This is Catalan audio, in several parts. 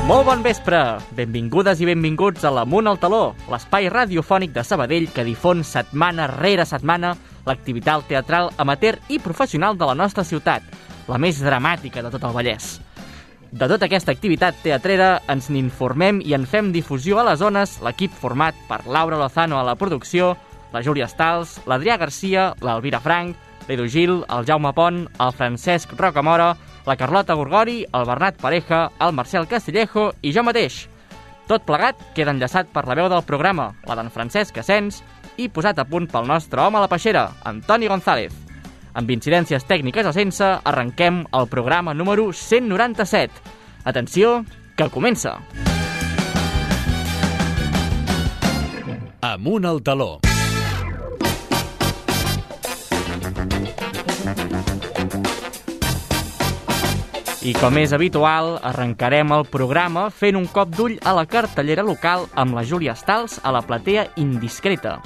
Molt bon vespre! Benvingudes i benvinguts a l'Amunt al Taló, l'espai radiofònic de Sabadell que difon setmana rere setmana l'activitat teatral amateur i professional de la nostra ciutat, la més dramàtica de tot el Vallès. De tota aquesta activitat teatrera ens n'informem i en fem difusió a les zones l'equip format per Laura Lozano a la producció, la Júlia Stals, l'Adrià Garcia, l'Elvira Frank, l'Edu Gil, el Jaume Pont, el Francesc Rocamora, la Carlota Gorgori, el Bernat Pareja, el Marcel Castillejo i jo mateix. Tot plegat queda enllaçat per la veu del programa, la d'en Francesc Asens, i posat a punt pel nostre home a la peixera, Antoni González. Amb incidències tècniques o sense, arrenquem el programa número 197. Atenció, que comença! Amunt al Taló. I com és habitual, arrencarem el programa fent un cop d'ull a la cartellera local amb la Júlia Stals a la platea Indiscreta.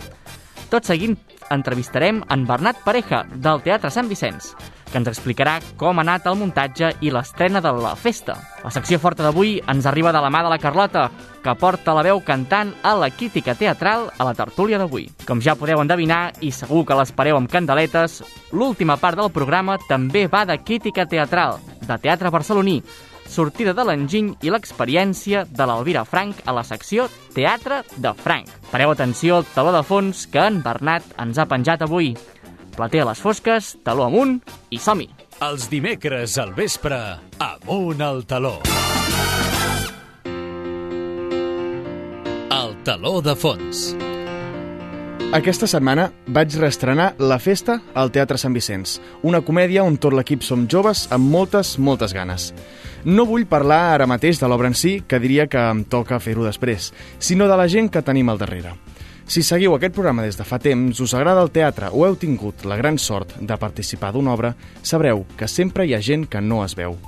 Tot seguint entrevistarem en Bernat Pareja, del Teatre Sant Vicenç, que ens explicarà com ha anat el muntatge i l'estrena de la festa. La secció forta d'avui ens arriba de la mà de la Carlota, que porta la veu cantant a la crítica teatral a la tertúlia d'avui. Com ja podeu endevinar, i segur que l'espereu amb candeletes, l'última part del programa també va de crítica teatral, de teatre barceloní, sortida de l'enginy i l'experiència de l'Elvira Frank a la secció Teatre de Frank. Pareu atenció al taló de fons que en Bernat ens ha penjat avui. Platea a les fosques, taló amunt i som-hi! Els dimecres al vespre, Amunt al Taló. El taló de fons. Aquesta setmana vaig reestrenar La Festa al Teatre Sant Vicenç, una comèdia on tot l'equip som joves amb moltes ganes. No vull parlar ara mateix de l'obra en si, que diria que em toca fer-ho després, sinó de la gent que tenim al darrere. Si seguiu aquest programa des de fa temps, us agrada el teatre o heu tingut la gran sort de participar d'una obra, sabreu que sempre hi ha gent que no es veu.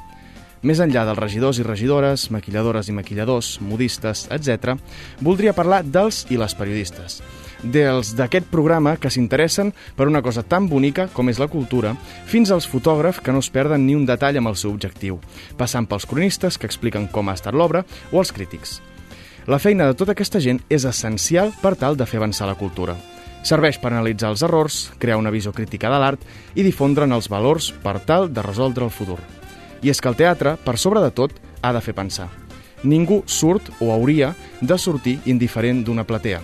Més enllà dels regidors i regidores, maquilladores i maquilladors, modistes, etc., voldria parlar dels i les periodistes. Dels d'aquest programa que s'interessen per una cosa tan bonica com és la cultura, fins als fotògrafs que no es perden ni un detall amb el seu objectiu, passant pels cronistes que expliquen com ha estat l'obra o els crítics. La feina de tota aquesta gent és essencial per tal de fer avançar la cultura. Serveix per analitzar els errors, crear una visió crítica de l'art i difondre'n els valors per tal de resoldre el futur. I és que el teatre, per sobre de tot, ha de fer pensar. Ningú surt o hauria de sortir indiferent d'una platea.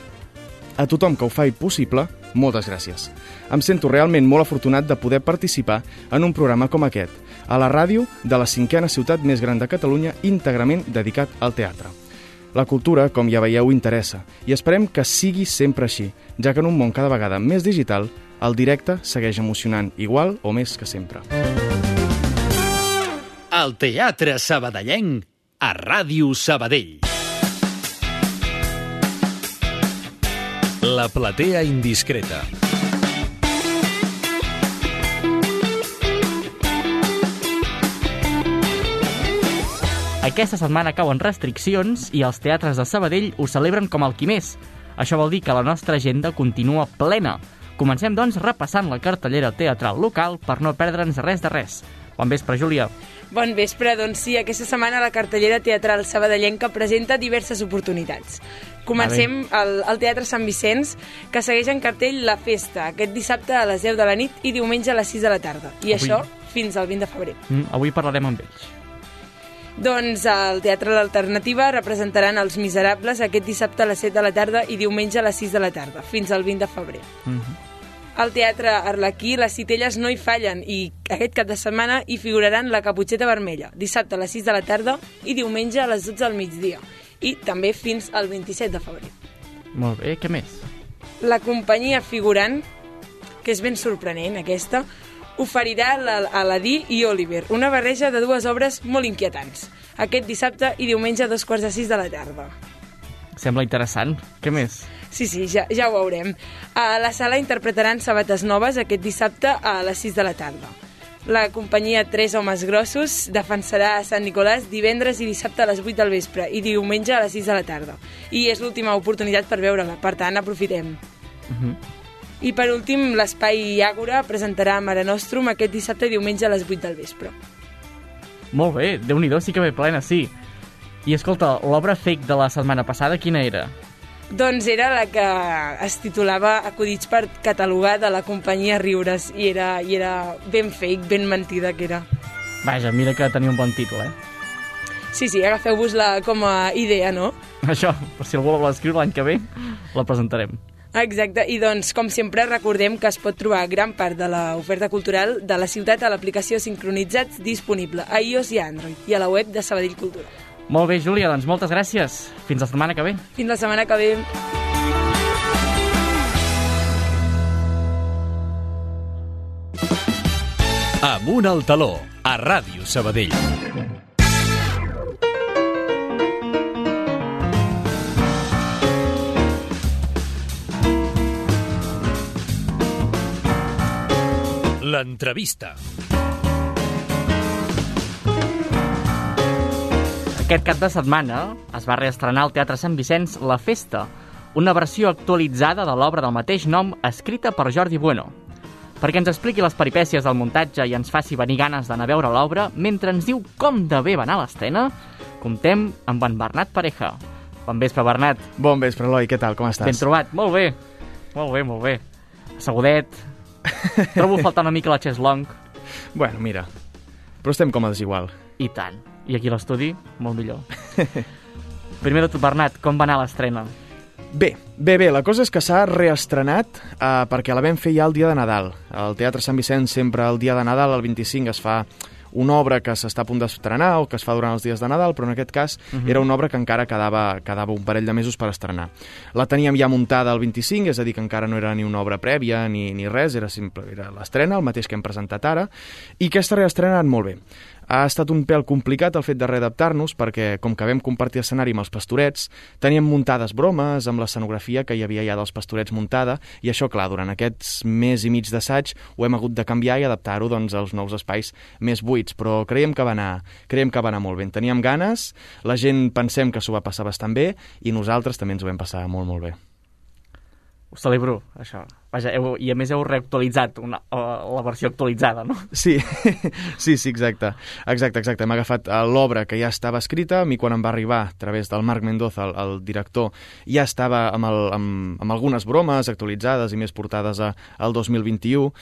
A tothom que ho faci possible, moltes gràcies. Em sento realment molt afortunat de poder participar en un programa com aquest, a la ràdio de la 5a ciutat més gran de Catalunya, íntegrament dedicat al teatre. La cultura, com ja veieu, interessa, i esperem que sigui sempre així, ja que en un món cada vegada més digital, el directe segueix emocionant igual o més que sempre. El teatre sabadellenc a Ràdio Sabadell. La platea Indiscreta. Aquesta setmana cauen restriccions i els teatres de Sabadell ho celebren com el qui més. Això vol dir que la nostra agenda continua plena. Comencem, doncs, repassant la cartellera teatral local per no perdre'ns res de res. Bon vespre, Júlia. Bon vespre, doncs sí, aquesta setmana la cartellera teatral sabadellenca presenta diverses oportunitats. Comencem al Teatre Sant Vicenç, que segueix en cartell La Festa, aquest dissabte a les 10 de la nit i diumenge a les 6 de la tarda. I això fins al 20 de febrer. Avui parlarem amb ells. Doncs al Teatre l'Alternativa representaran Els Miserables aquest dissabte a les 7 de la tarda i diumenge a les 6 de la tarda, fins al 20 de febrer. Al Teatre Arlequí les citelles no hi fallen i aquest cap de setmana hi figuraran La Caputxeta Vermella, dissabte a les 6 de la tarda i diumenge a les 12 del migdia, i també fins al 27 de febrer. Molt bé, què més? La companyia figurant, que és ben sorprenent aquesta, oferirà Aladí i Oliver, una barreja de dues obres molt inquietants, aquest dissabte i diumenge a 5:45 de la tarda. Sembla interessant. Què més? Sí, ja ho veurem. A la sala interpretaran Sabates Noves aquest dissabte a les 6 de la tarda. La companyia Tres Homes Grossos defensarà a Sant Nicolàs divendres i dissabte a les 8 del vespre i diumenge a les 6 de la tarda. I és l'última oportunitat per veure-la, per tant, aprofitem. I per últim, l'Espai Àgora presentarà Mare Nostrum aquest dissabte i diumenge a les 8 del vespre. Molt bé, Déu-n'hi-do, sí que ve plena, sí. I escolta, l'obra fake de la setmana passada, quina era? Doncs era la que es titulava Acudits per catalogar de la companyia Riures i era ben fake, ben mentida que era. Vaja, mira que tenia un bon títol, eh? Sí, agafeu-vos-la com a idea, no? Això, per si algú la vol escriure l'any que ve, la presentarem. Exacte, i doncs, com sempre, recordem que es pot trobar gran part de l'oferta cultural de la ciutat a l'aplicació Sincronitzats disponible a iOS i a Android i a la web de Sabadell Cultura. Molt bé, Júlia, doncs moltes gràcies. Fins la setmana que ve. Fins la setmana que ve. Amunt al taló, a Ràdio Sabadell. L'entrevista. Aquest cap de setmana es va reestrenar al Teatre Sant Vicenç La Festa, una versió actualitzada de l'obra del mateix nom escrita per Jordi Bueno. Perquè ens expliqui les peripècies del muntatge i ens faci venir ganes d'anar a veure l'obra, mentre ens diu com de bé va anar l'estrena, comptem amb en Bernat Pareja. Bon vespre, Bernat. Bon vespre, Eloi, què tal, com estàs? Ben trobat, molt bé. Molt bé, molt bé. Assegudet. Trobo faltar una mica la Cheslong. Bueno, mira, però estem còmodes igual. I tant. I aquí a l'estudi, molt millor. Primer de tot, Bernat, com va anar l'estrena? Bé, la cosa és que s'ha reestrenat perquè la vam fer ja el dia de Nadal. Al Teatre Sant Vicenç sempre el dia de Nadal, el 25, es fa una obra que s'està a punt d'estrenar o que es fa durant els dies de Nadal, però en aquest cas era una obra que encara quedava un parell de mesos per estrenar. La teníem ja muntada el 25, és a dir, que encara no era ni una obra prèvia ni res, era l'estrena, el mateix que hem presentat ara, i aquesta reestrena ha anat molt bé. Ha estat un pèl complicat el fet de readaptar-nos perquè, com que vam compartir escenari amb els Pastorets, teníem muntades bromes amb l'escenografia que hi havia ja dels Pastorets muntada, i això, clar, durant aquests mes i mig d'assaig ho hem hagut de canviar i adaptar-ho doncs, als nous espais més buits, però creiem que va anar molt bé. En teníem ganes, la gent pensem que s'ho va passar bastant bé i nosaltres també ens ho vam passar molt, molt bé. Ho celebro, això. Vaja, i a més heu reactualitzat la versió actualitzada, no? Sí, exacte. Hem agafat l'obra que ja estava escrita. A mi, quan em va arribar, a través del Marc Mendoza, el director, ja estava amb algunes bromes actualitzades i més portades al 2021.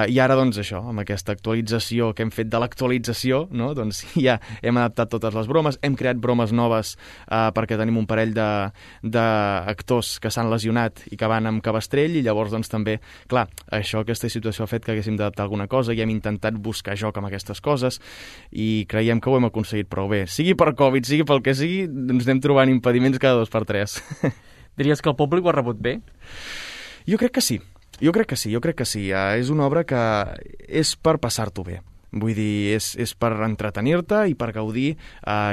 I ara, doncs, això, amb aquesta actualització que hem fet de l'actualització, no? Doncs ja hem adaptat totes les bromes, hem creat bromes noves perquè tenim un parell d'actors que s'han lesionat i que van amb cabestrell, i llavors doncs també, clar, aquesta situació ha fet que haguéssim d'adaptar alguna cosa i hem intentat buscar joc amb aquestes coses i creiem que ho hem aconseguit prou bé. Sigui per Covid, sigui pel que sigui, ens anem trobant impediments cada 2 per 3. Diries que el públic ho ha rebut bé? Jo crec que sí. És una obra que és per passar-t'ho bé. Vull dir, és per entretenir-te i per gaudir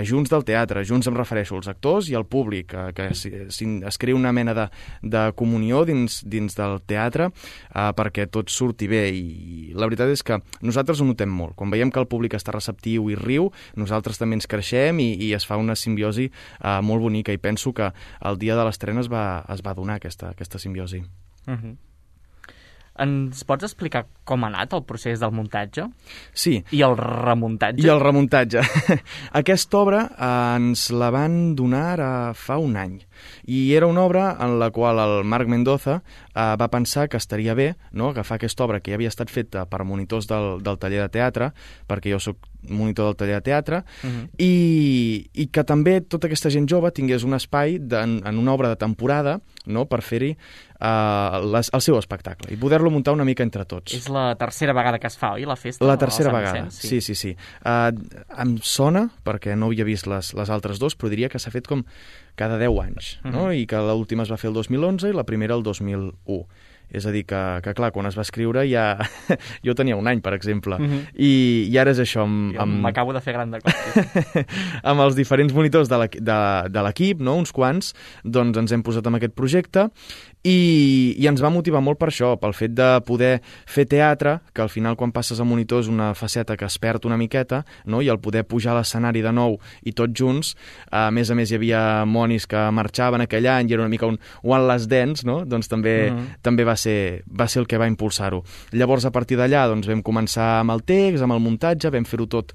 junts del teatre. Junts em refereixo als actors i al públic, que es crea una mena de comunió dins del teatre perquè tot surti bé. I la veritat és que nosaltres ho notem molt. Quan veiem que el públic està receptiu i riu, nosaltres també ens creixem i es fa una simbiosi molt bonica, i penso que el dia de l'estrena es va donar aquesta simbiosi. Ens pots explicar com ha anat el procés del muntatge? Sí. I el remuntatge? Aquesta obra ens la van donar fa un any. I era una obra en la qual el Marc Mendoza va pensar que estaria bé, no?, agafar aquesta obra que ja havia estat feta per monitors del taller de teatre, perquè jo soc monitor del taller de teatre, i que també tota aquesta gent jove tingués un espai en una obra de temporada, no?, per fer-hi el seu espectacle i poder-lo muntar una mica entre tots. És la tercera vegada que es fa, oi, la festa? La tercera vegada, sí. Em sona, perquè no havia vist les altres dos, però diria que s'ha fet com cada 10 anys, no? I que l'última es va fer el 2011 i la primera el 2001. És a dir, que clar, quan es va escriure ja... jo tenia un any, per exemple, i ara és això... M'acabo de fer gran de cop. Amb els diferents monitors de l'equip, no?, uns quants, doncs ens hem posat amb aquest projecte i ens va motivar molt per això, pel fet de poder fer teatre, que al final quan passes a monitor és una faceta que es perd una miqueta, no?, i el poder pujar a l'escenari de nou i tots junts, a més hi havia monis que marxaven aquell any i era una mica un One Last Dance, no?, doncs també va ser el que va impulsar-ho. Llavors, a partir d'allà, doncs, vam començar amb el text, amb el muntatge, vam fer-ho tot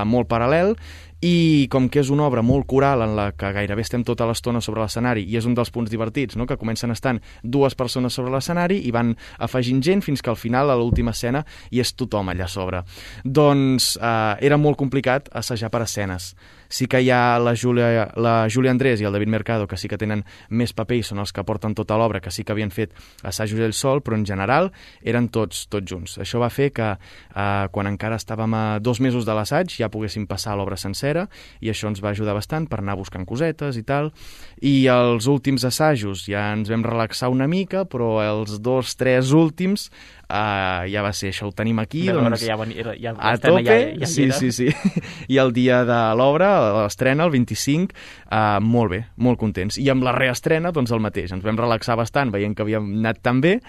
molt paral·lel, i com que és una obra molt coral en la que gairebé estem tota l'estona sobre l'escenari i és un dels punts divertits, no? Que comencen estant 2 persones sobre l'escenari i van afegint gent fins que al final, a l'última escena, hi és tothom allà a sobre. Doncs era molt complicat assajar per escenes. Sí que hi ha la Júlia Andrés i el David Mercado, que sí que tenen més paper i són els que porten tota l'obra, que sí que havien fet assajos ell sol, però en general eren tots junts. Això va fer que quan encara estàvem a 2 mesos de l'assaig ja poguéssim passar l'obra sencera i això ens va ajudar bastant per anar buscant cosetes i tal. I els últims assajos ja ens vam relaxar una mica, però els 2-3 últims ja va ser, això ho tenim aquí, doncs, ja a tope, sí. I el dia de l'obra, l'estrena, el 25, molt bé, molt contents. I amb la reestrena, doncs el mateix, ens vam relaxar bastant veient que havíem anat tan bé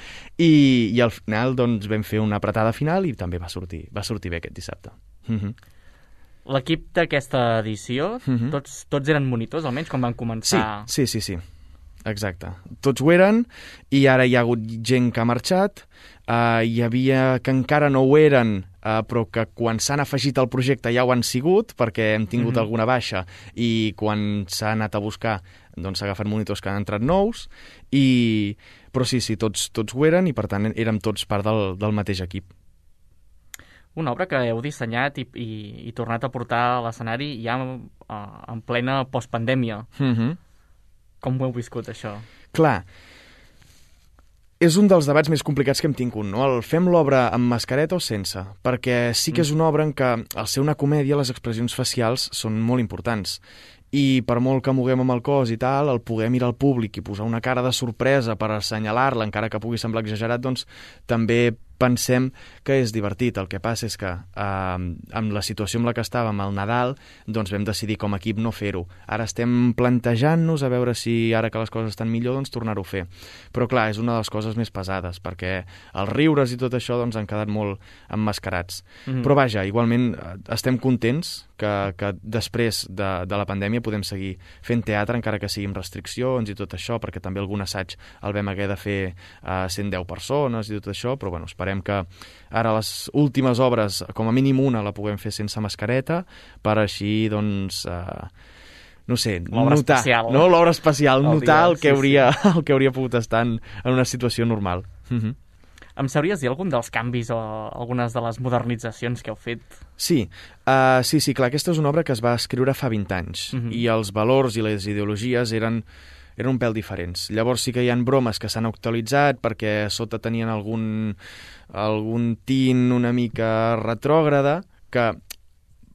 i al final doncs vam fer una apretada final i també va sortir bé aquest dissabte. L'equip d'aquesta edició, tots eren monitors, almenys, quan van començar? Sí. Exacte. Tots ho eren i ara hi ha hagut gent que ha marxat, hi havia que encara no ho eren, però que quan s'han afegit al projecte ja ho han sigut, perquè hem tingut alguna baixa i quan s'ha anat a buscar doncs s'ha agafat monitors que han entrat nous, però sí, tots ho eren i per tant érem tots part del mateix equip. Una obra que heu dissenyat i tornat a portar a l'escenari ja en plena postpandèmia. Com ho heu viscut, això? Clar, és un dels debats més complicats que hem tingut, no? El fem l'obra amb mascareta o sense? Perquè sí que és una obra en què, al ser una comèdia, les expressions facials són molt importants. I per molt que moguem amb el cos i tal, el poder mirar al públic i posar una cara de sorpresa per assenyalar-la, encara que pugui semblar exagerat, doncs també pensem que és divertit. El que passa és que amb la situació amb la que estàvem al Nadal, doncs vam decidir com a equip no fer-ho. Ara estem plantejant-nos a veure si ara que les coses estan millor, doncs tornar-ho a fer. Però clar, és una de les coses més pesades, perquè els riures i tot això doncs han quedat molt emmascarats. Però vaja, igualment estem contents que després de la pandèmia podem seguir fent teatre, encara que sigui amb restriccions i tot això, perquè també algun assaig el vam haver de fer 110 persones i tot això, però bueno, esperem que ara les últimes obres, com a mínim una, la puguem fer sense mascareta, per així, doncs, no sé, notar, no? L'obra especial, notar el que hauria pogut estar en una situació normal. Em sabries dir algun dels canvis o algunes de les modernitzacions que heu fet? Sí, clar, aquesta és una obra que es va escriure fa 20 anys i els valors i les ideologies eren un pèl diferents. Llavors sí que hi ha bromes que s'han actualitzat perquè a sota tenien algun tint una mica retrògrada, que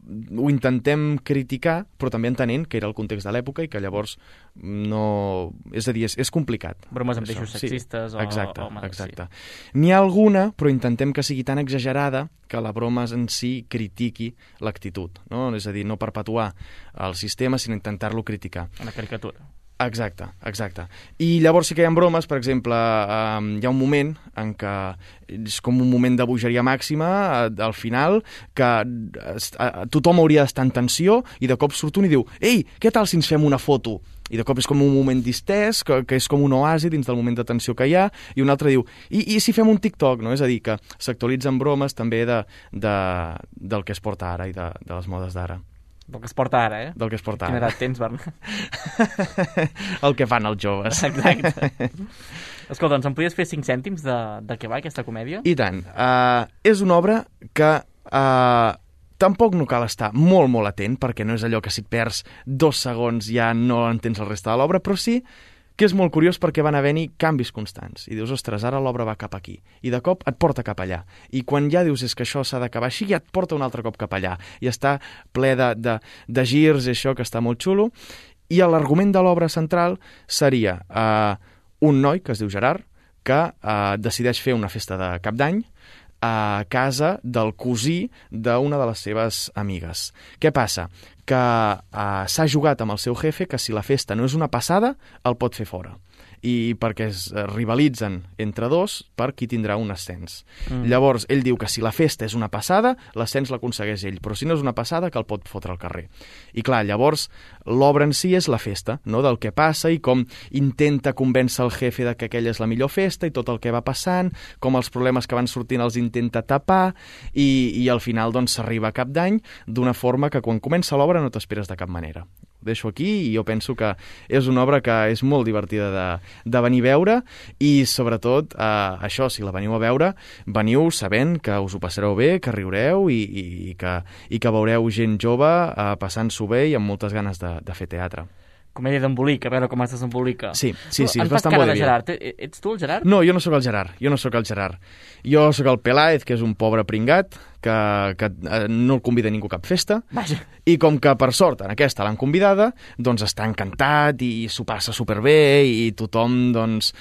ho intentem criticar, però també entenent que era el context de l'època i que llavors no... És a dir, és complicat. Bromes amb eixos sexistes o... Exacte. N'hi ha alguna, però intentem que sigui tan exagerada que la broma en si critiqui l'actitud, no? És a dir, no perpetuar el sistema, sinó intentar-lo criticar. Una caricatura. Exacte. I llavors sí que hi ha bromes, per exemple, hi ha un moment en què és com un moment de bogeria màxima al final, que tothom hauria d'estar en tensió i de cop surt un i diu: «Ei, què tal si ens fem una foto?» I de cop és com un moment distès, que és com un oasi dins del moment de tensió que hi ha, i un altre diu: i si fem un TikTok? No? És a dir, que s'actualitzen bromes també del que es porta ara i de les modes d'ara. Del que es porta ara, eh? Del que es porta ara. Quina edat tens, Bernat? El que fan els joves. Exacte. Escolta, doncs em podies fer 5 cèntims de què va aquesta comèdia? I tant. És una obra que tampoc no cal estar molt, molt atent, perquè no és allò que si et perds 2 segons ja no entens el resta de l'obra, però sí que és molt curiós perquè van haver-hi canvis constants. I dius, ostres, ara l'obra va cap aquí. I de cop et porta cap allà. I quan ja dius és que això s'ha d'acabar així, ja et porta un altre cop cap allà. I està ple de girs i això, que està molt xulo. I l'argument de l'obra central seria un noi, que es diu Gerard, que decideix fer una festa de cap d'any a casa del cosí d'una de les seves amigues. Què passa? Que s'ha jugat amb el seu jefe que si la festa no és una passada, el pot fer fora. I perquè es rivalitzen entre dos per qui tindrà un ascens. Llavors, ell diu que si la festa és una passada, l'ascens l'aconsegueix ell, però si no és una passada, que el pot fotre al carrer. I clar, llavors, l'obra en si és la festa, no? Del que passa i com intenta convèncer el jefe de que aquella és la millor festa i tot el que va passant, com els problemes que van sortint els intenta tapar i al final doncs s'arriba a cap d'any d'una forma que quan comença l'obra obra no t'esperes de cap manera. Ho deixo aquí i jo penso que és una obra que és molt divertida de venir a veure i sobretot això, si la veniu a veure, veniu sabent que us ho passareu bé, que riureu i que veureu gent jove passant-s'ho bé i amb moltes ganes de fer teatre. Comèdia d'embolic, a veure com es desembolica. Sí, és bastant cara de vodevil. Gerard. Ets tu el Gerard? No, jo no sóc el Gerard. Jo sóc el Peláez, que és un pobre pringat, que no el convida ningú a cap festa, Vaja. i com que per sort en aquesta l'han convidada, doncs està encantat i s'ho passa superbé i tothom doncs,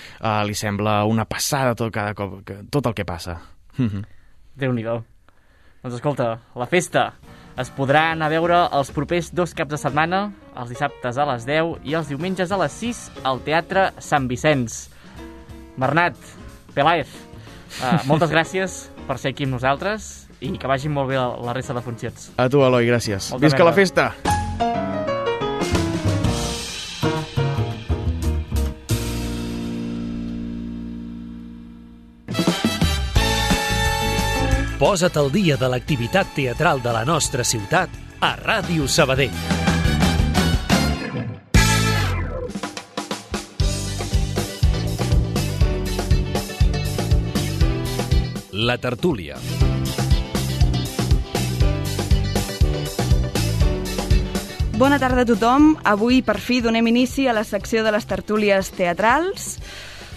li sembla una passada tot el que passa. Déu-n'hi-do. Doncs escolta, la festa es podrà anar a veure els propers 2 caps de setmana, els dissabtes a les 10 i els diumenges a les 6 al Teatre Sant Vicenç. Bernat, Peláez, moltes gràcies per ser aquí amb nosaltres i que vagin molt bé la resta de funcions. A tu, Eloi, gràcies. Molta Visca la merda. festa! Posa't al dia de l'activitat teatral de la nostra ciutat a Ràdio Sabadell. La tertúlia. Bona tarda a tothom. Avui, per fi, donem inici a la secció de les tertúlies teatrals.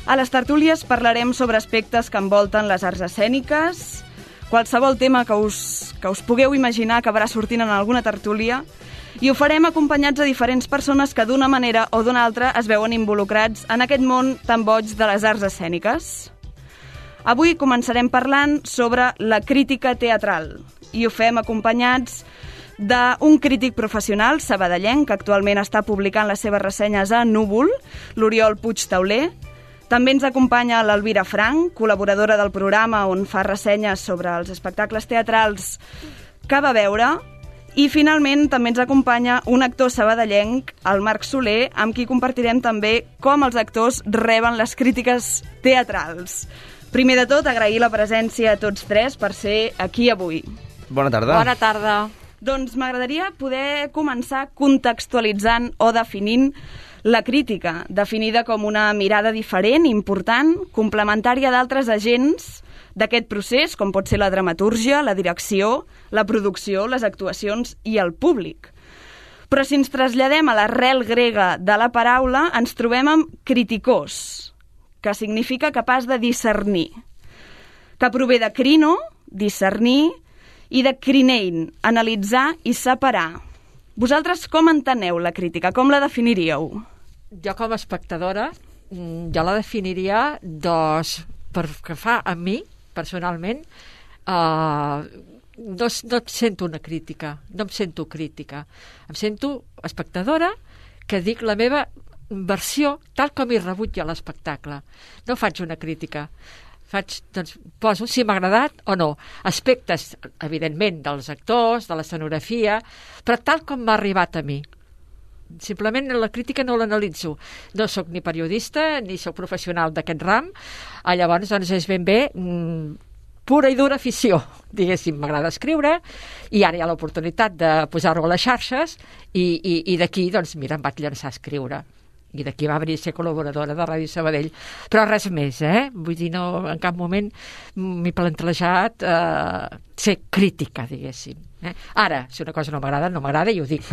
A les tertúlies parlarem sobre aspectes que envolten les arts escèniques. Qualsevol tema que us pugueu imaginar acabarà sortint en alguna tertúlia i ho farem acompanyats de diferents persones que d'una manera o d'una altra es veuen involucrats en aquest món tan boig de les arts escèniques. Avui començarem parlant sobre la crítica teatral i ho fem acompanyats d'un crític professional sabadellenc que actualment està publicant les seves ressenyes a Núvol, l'Oriol Puig Tauler. També ens acompanya l'Elvira Frank, col·laboradora del programa on fa ressenyes sobre els espectacles teatrals que va veure. I finalment també ens acompanya un actor sabadellenc, el Marc Soler, amb qui compartirem també com els actors reben les crítiques teatrals. Primer de tot, agrair la presència a tots tres per ser aquí avui. Bona tarda. Bona tarda. Doncs m'agradaria poder començar contextualitzant o definint la crítica, definida com una mirada diferent, important, complementària d'altres agents d'aquest procés, com pot ser la dramatúrgia, la direcció, la producció, les actuacions i el públic. Però si ens traslladem a l'arrel grega de la paraula, ens trobem amb criticós, que significa capaç de discernir, que prové de crino, discernir, i de crinein, analitzar i separar. Vosaltres com enteneu la crítica? Com la definiríeu? Jo com a espectadora, jo la definiria, doncs, per que fa a mi, personalment, no sento una crítica, no em sento crítica. Em sento espectadora que dic la meva versió tal com hi rebut jo l'espectacle. No faig una crítica. Doncs, poso si m'ha agradat o no. Aspectes, evidentment, dels actors, de l'escenografia, però tal com m'ha arribat a mi. Simplement la crítica no l'analitzo. No sóc ni periodista ni sóc professional d'aquest ram. Llavors, doncs, és ben bé pura i dura afició. Diguéssim, m'agrada escriure i ara hi ha l'oportunitat de posar-ho a les xarxes i d'aquí, doncs, mira, em vaig llançar a escriure. I d'aquí va venir a ser col·laboradora de Ràdio Sabadell. Però res més, Vull dir, no, en cap moment m'he plantejat ser crítica, diguéssim. Ara, si una cosa no m'agrada, no m'agrada i ho dic.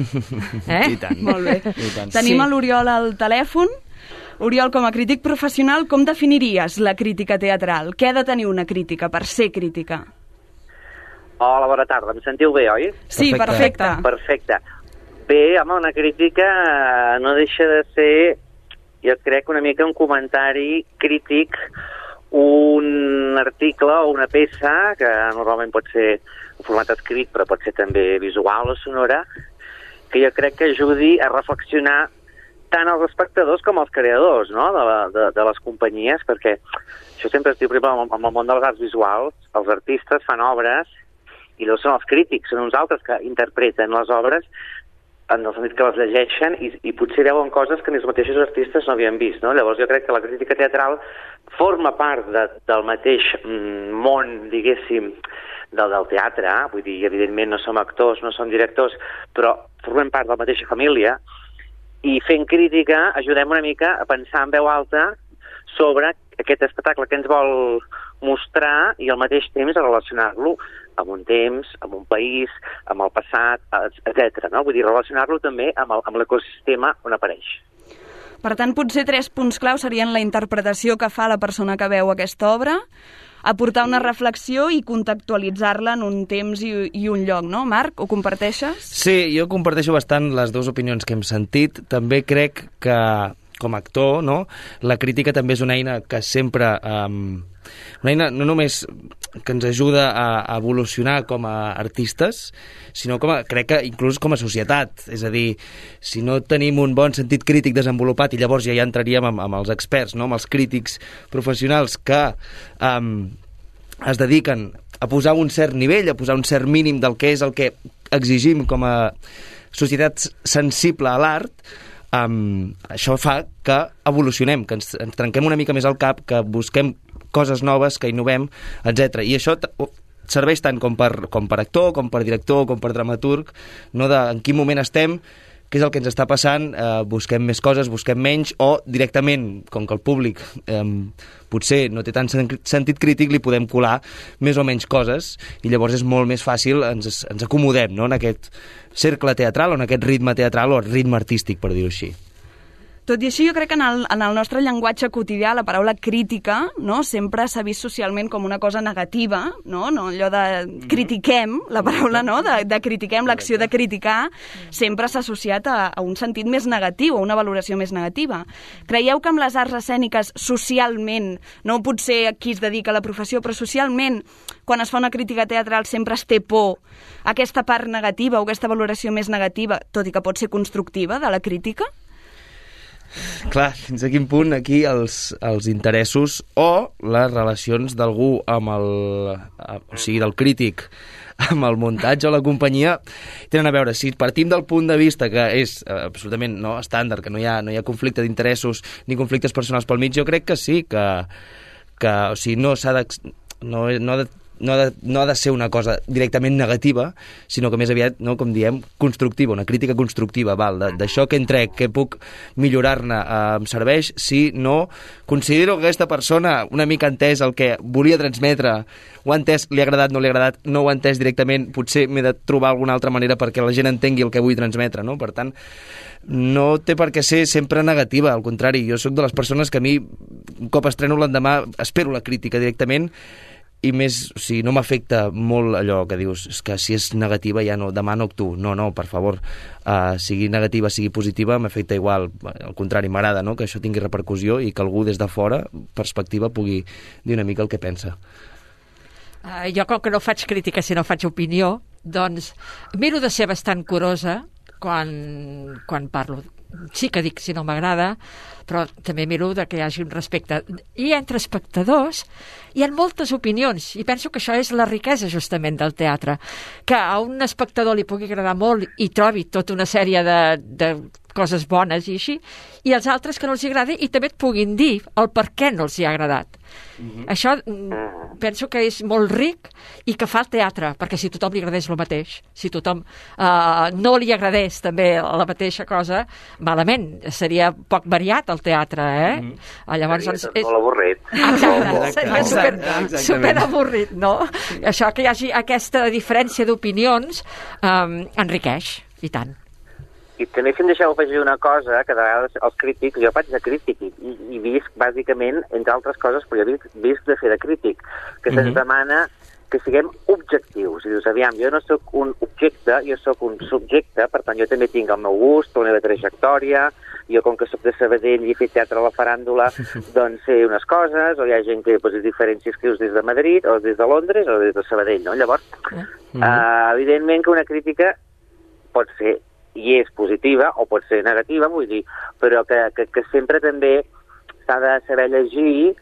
I tant. Molt bé. Tenim l'Oriol al telèfon. Oriol, com a crític professional, com definiries la crítica teatral? Què ha de tenir una crítica per ser crítica? Hola, bona tarda. Em sentiu bé, oi? Sí, perfecte. Perfecte. Bé, home, una crítica no deixa de ser, jo crec, una mica un comentari crític, un article o una peça, que normalment pot ser en format escrit, però pot ser també visual o sonora, que jo crec que ajudi a reflexionar tant els espectadors com els creadors, no?, de les companyies, perquè això sempre es diu, per exemple, en el món de les arts visuals, els artistes fan obres i no són els crítics, són uns altres que interpreten les obres en el sentit que les llegeixen i potser veuen coses que ni els mateixos artistes no havien vist, no? Llavors jo crec que la crítica teatral forma part del mateix món, diguéssim, del teatre, vull dir, evidentment no som actors, no som directors, però formem part de la mateixa família, i fent crítica ajudem una mica a pensar en veu alta sobre aquest espectacle que ens vol mostrar i al mateix temps a relacionar-lo amb un temps, amb un país, amb el passat, etc. No? Vull dir, relacionar-lo també amb l'ecosistema on apareix. Per tant, potser 3 punts clau serien la interpretació que fa la persona que veu aquesta obra, aportar una reflexió i contextualitzar-la en un temps i un lloc, no? Marc, ho comparteixes? Sí, jo comparteixo bastant les dues opinions que hem sentit. També crec que, com a actor, no, la crítica també és una eina que sempre... una eina no només que ens ajuda a evolucionar com a artistes, sinó crec que inclús com a societat. És a dir, si no tenim un bon sentit crític desenvolupat, i llavors ja entraríem amb els experts, no? Amb els crítics professionals que es dediquen a posar un cert nivell, a posar un cert mínim del que és el que exigim com a societat sensible a l'art, això fa que evolucionem, que ens trenquem una mica més el cap, que busquem coses noves, que innovem, etc. I això serveix tant com per actor, com per director, com per dramaturg, no de en quin moment estem, què és el que ens està passant, busquem més coses, busquem menys, o directament, com que el públic potser no té tant sentit crític, li podem colar més o menys coses, i llavors és molt més fàcil, ens acomodem, no?, en aquest cercle teatral o en aquest ritme teatral o ritme artístic, per dir-ho així. Tot i així, jo crec que en el nostre llenguatge quotidià la paraula crítica, no, sempre s'ha vist socialment com una cosa negativa, no allò de critiquem, la paraula, no, de critiquem, l'acció de criticar, sempre s'ha associat a un sentit més negatiu, a una valoració més negativa. Creieu que amb les arts escèniques socialment, no potser qui es dedica a la professió, però socialment, quan es fa una crítica teatral sempre es té por aquesta part negativa o aquesta valoració més negativa, tot i que pot ser constructiva, de la crítica? Clar, fins a quin punt aquí els interessos o les relacions d'algú amb o sigui, del crític amb el muntatge o la companyia tenen a veure. Si partim del punt de vista que és absolutament estàndard, que no hi ha conflicte d'interessos ni conflictes personals pel mig, jo crec que sí, que o sigui, no ha de ser una cosa directament negativa, sinó que més aviat, no, com diem, constructiva, una crítica constructiva, d'això que entrec, que puc millorar-ne, em serveix si no considero que aquesta persona una mica ha entès el que volia transmetre, ho ha entès, li ha agradat, no li ha agradat, no ho ha entès directament, potser m'he de trobar alguna altra manera perquè la gent entengui el que vull transmetre, no? Per tant, no té per què ser sempre negativa, al contrari, jo sóc de les persones que a mi, un cop estreno l'endemà, espero la crítica directament, i més, o sigui, no m'afecta molt allò que dius, és que si és negativa ja no, demà no actuo. No, per favor, sigui negativa, sigui positiva, m'afecta igual, al contrari, m'agrada, no?, que això tingui repercussió i que algú des de fora, perspectiva, pugui dir una mica el que pensa. Jo, com que no faig crítica, sinó faig opinió, doncs miro de ser bastant curosa quan parlo. Sí que dic si no m'agrada, però també miro que hi hagi un respecte. I entre espectadors hi ha moltes opinions, i penso que això és la riquesa justament del teatre, que a un espectador li pugui agradar molt i trobi tota una sèrie de coses bones i així, i els altres que no els agradi i també et puguin dir el per què no els hi ha agradat. Això penso que és molt ric i que fa el teatre, perquè si tothom li agradés el mateix, si tothom no li agradés també la mateixa cosa, malament, seria poc variat el teatre, Llavors, seria molt avorrit. Seria super avorrit, no? Això que hi hagi aquesta diferència d'opinions enriqueix, i tant. I també, si em deixeu afegir una cosa, que de vegades els crítics, jo faig de crític i visc bàsicament, entre altres coses, però jo visc de fer de crític, que se'ns demana que siguem objectius. I dius, aviam, jo no sóc un objecte, jo sóc un subjecte, per tant jo també tinc el meu gust, la meva trajectòria, jo com que sóc de Sabadell i he fet teatre a la faràndula, doncs sé unes coses, o hi ha gent que és diferents si escrius des de Madrid, o des de Londres, o des de Sabadell, no? Llavors, evidentment que una crítica pot ser i és positiva o pot ser negativa, vull dir, però que sempre també s'ha de saber llegir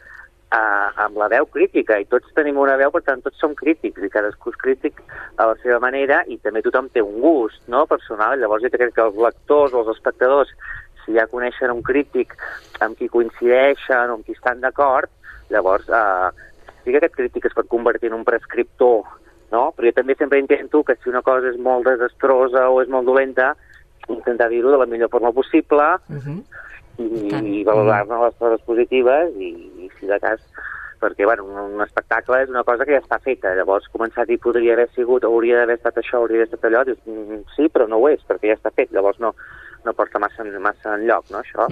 amb la veu crítica, i tots tenim una veu, per tant tots som crítics, i cadascú és crític a la seva manera, i també tothom té un gust, no?, personal. Llavors jo crec que els lectors o els espectadors, si ja coneixen un crític amb qui coincideixen o amb qui estan d'acord, llavors sí que aquest crític es pot convertir en un prescriptor no? Però jo també sempre intento que si una cosa és molt desastrosa o és molt dolenta, intentar dir-ho de la millor forma possible i valorar-ne les coses positives i si de cas, perquè bueno, un espectacle és una cosa que ja està feta, llavors començar a dir podria haver sigut, hauria d'haver estat això, hauria d'haver estat allò, dius, sí, però no ho és, perquè ja està fet, llavors no porta massa enlloc, no, això.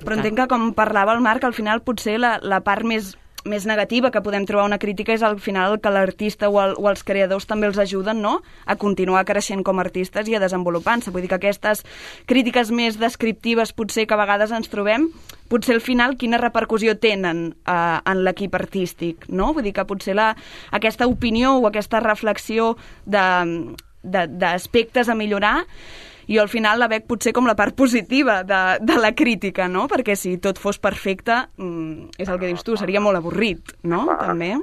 Però entenc que, com parlava el Marc, al final potser la part més negativa que podem trobar una crítica és al final que l'artista o els creadors també els ajuden, no?, a continuar creixent com a artistes i a desenvolupant-se. Vull dir que aquestes crítiques més descriptives potser que a vegades ens trobem, potser al final quina repercussió tenen en l'equip artístic, no? Vull dir que potser aquesta opinió o aquesta reflexió d'aspectes a millorar, i al final la veig potser com la part positiva de la crítica, no? Perquè si tot fos perfecte, és el que dius tu, seria molt avorrit, no? També.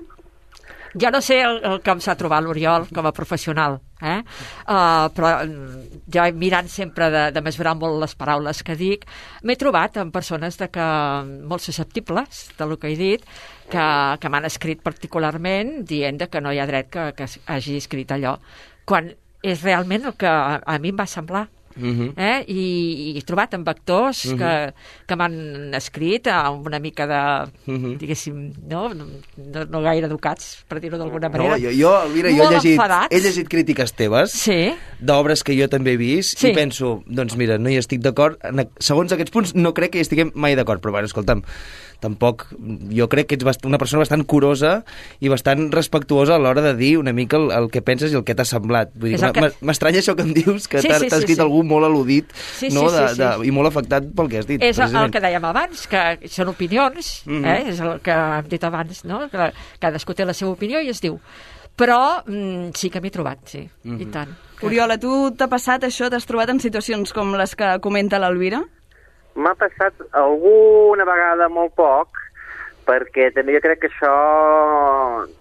Jo no sé el que em s'ha trobat l'Oriol com a professional, però jo mirant sempre de mesurar molt les paraules que dic, m'he trobat amb persones molt susceptibles del que he dit, que m'han escrit particularment dient que no hi ha dret que hagi escrit allò, quan és realment el que a mi em va semblar. I he trobat amb actors que m'han escrit amb una mica de, diguéssim, no gaire educats, per dir-ho d'alguna manera. Mira, jo he llegit crítiques teves d'obres que jo també he vist i penso, doncs mira, no hi estic d'acord, segons aquests punts no crec que hi estiguem mai d'acord, però bueno, escolta'm, tampoc, jo crec que ets una persona bastant curosa i bastant respectuosa a l'hora de dir una mica el que penses i el que t'ha semblat. Vull dir, m'estranya això que em dius, que t'ha escrit algú molt al·ludit i molt afectat pel que has dit. És el que dèiem abans, que són opinions, és el que hem dit abans, no? Que cadascú té la seva opinió i es diu. Però sí que m'he trobat, sí, i tant. Oriol, a tu t'ha passat això? T'has trobat en situacions com les que comenta l'Elvira? M'ha passat alguna vegada molt poc, perquè també jo crec que això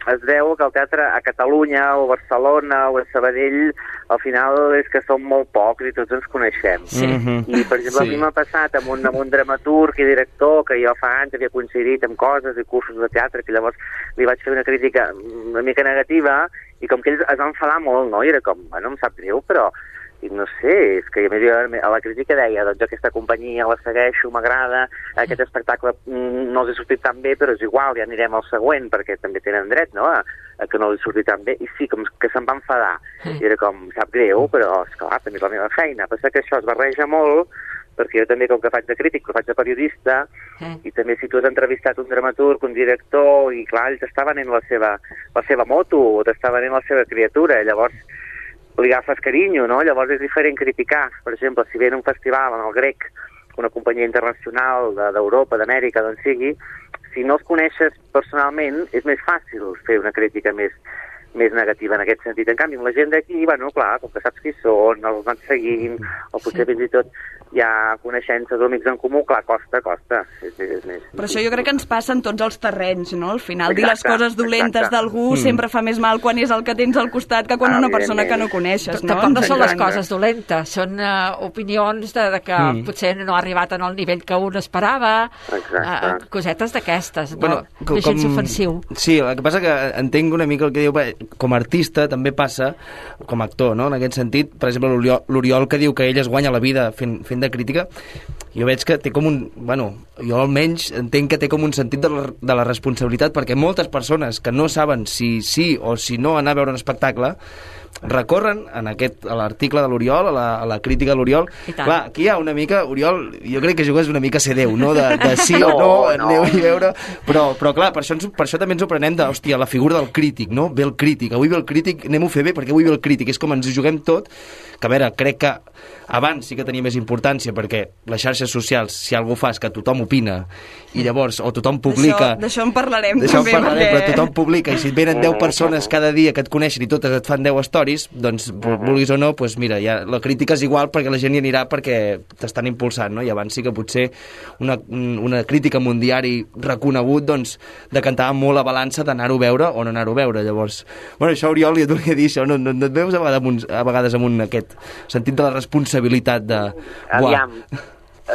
es deu que el teatre a Catalunya o a Barcelona o a Sabadell al final és que som molt pocs i tots ens coneixem. I per exemple a mi m'ha passat amb un dramaturg i director que jo fa anys havia coincidit amb coses i cursos de teatre, que llavors li vaig fer una crítica una mica negativa i com que ells es van enfadar molt, no? I era com, bueno, em sap greu, però no sé, és que a la crítica deia, doncs aquesta companyia la segueixo, m'agrada, aquest espectacle no els ha sortit tan bé, però és igual, ja anirem al següent, perquè també tenen dret, no?, a que no els surti tan bé, i sí, com que se'n va enfadar, i era com, sap greu, però esclar, també és la meva feina, passa que això es barreja molt, perquè jo també, com que faig de crític, però faig de periodista, i també si tu has entrevistat un dramaturg, un director, i clar, ells t'està venent la seva moto, o t'està venent la seva criatura, i llavors li agafes carinyo, no? Llavors és diferent criticar. Per exemple, si ve en un festival en el Grec, una companyia internacional d'Europa, d'Amèrica, d'on sigui, si no els coneixes personalment, és més fàcil fer una crítica més negativa en aquest sentit. En canvi, amb la gent d'aquí, bueno, clar, com que saps qui són, els van seguint, o potser fins i tot hi ha coneixences o amics en comú, clar, costa. És més. Però això jo crec que ens passa en tots els terrenys, no? Al final, dir les coses dolentes d'algú sempre fa més mal quan és el que tens al costat que quan una persona que no coneixes, no? Tampoc no són les coses dolentes, són opinions de que potser no ha arribat en el nivell que un esperava, cosetes d'aquestes, no? No és gens ofensiu. Sí, el que passa que entenc una mica el que diu, com a artista també passa, com a actor, no? En aquest sentit, per exemple, l'Oriol que diu que ell es guanya la vida fent de crítica, jo veig que té com un... Bueno, jo almenys entenc que té com un sentit de la responsabilitat, perquè moltes persones que no saben si sí o si no anar a veure un espectacle recorren a l'article de l'Oriol, a la crítica de l'Oriol. Clar, aquí hi ha una mica... Oriol, jo crec que jugues una mica a ser Déu, no? De sí o no, aneu-hi a veure... Però clar, per això també ens ho prenem de, hòstia, la figura del crític, no? Ve el crític, avui ve el crític, anem-ho a fer bé perquè avui ve el crític. És com ens juguem tot, que a veure, crec que abans sí que tenia més importància perquè les xarxes socials, si algú fa és que tothom opina i llavors, o tothom publica... D'això en parlarem també. Però tothom publica i si et venen 10 persones cada dia que et coneixen i totes et fan 10 stories, doncs vulguis o no, doncs mira, ja, la crítica és igual perquè la gent hi anirà perquè t'estan impulsant, no? I abans sí que potser una crítica en un diari reconegut, doncs, decantava molt la balança d'anar-ho a veure o no anar-ho a veure. Llavors, bueno, això, Oriol, jo et volia dir això, no et veus a vegades amb aquest sentit de la responsabilitat de... Aviam,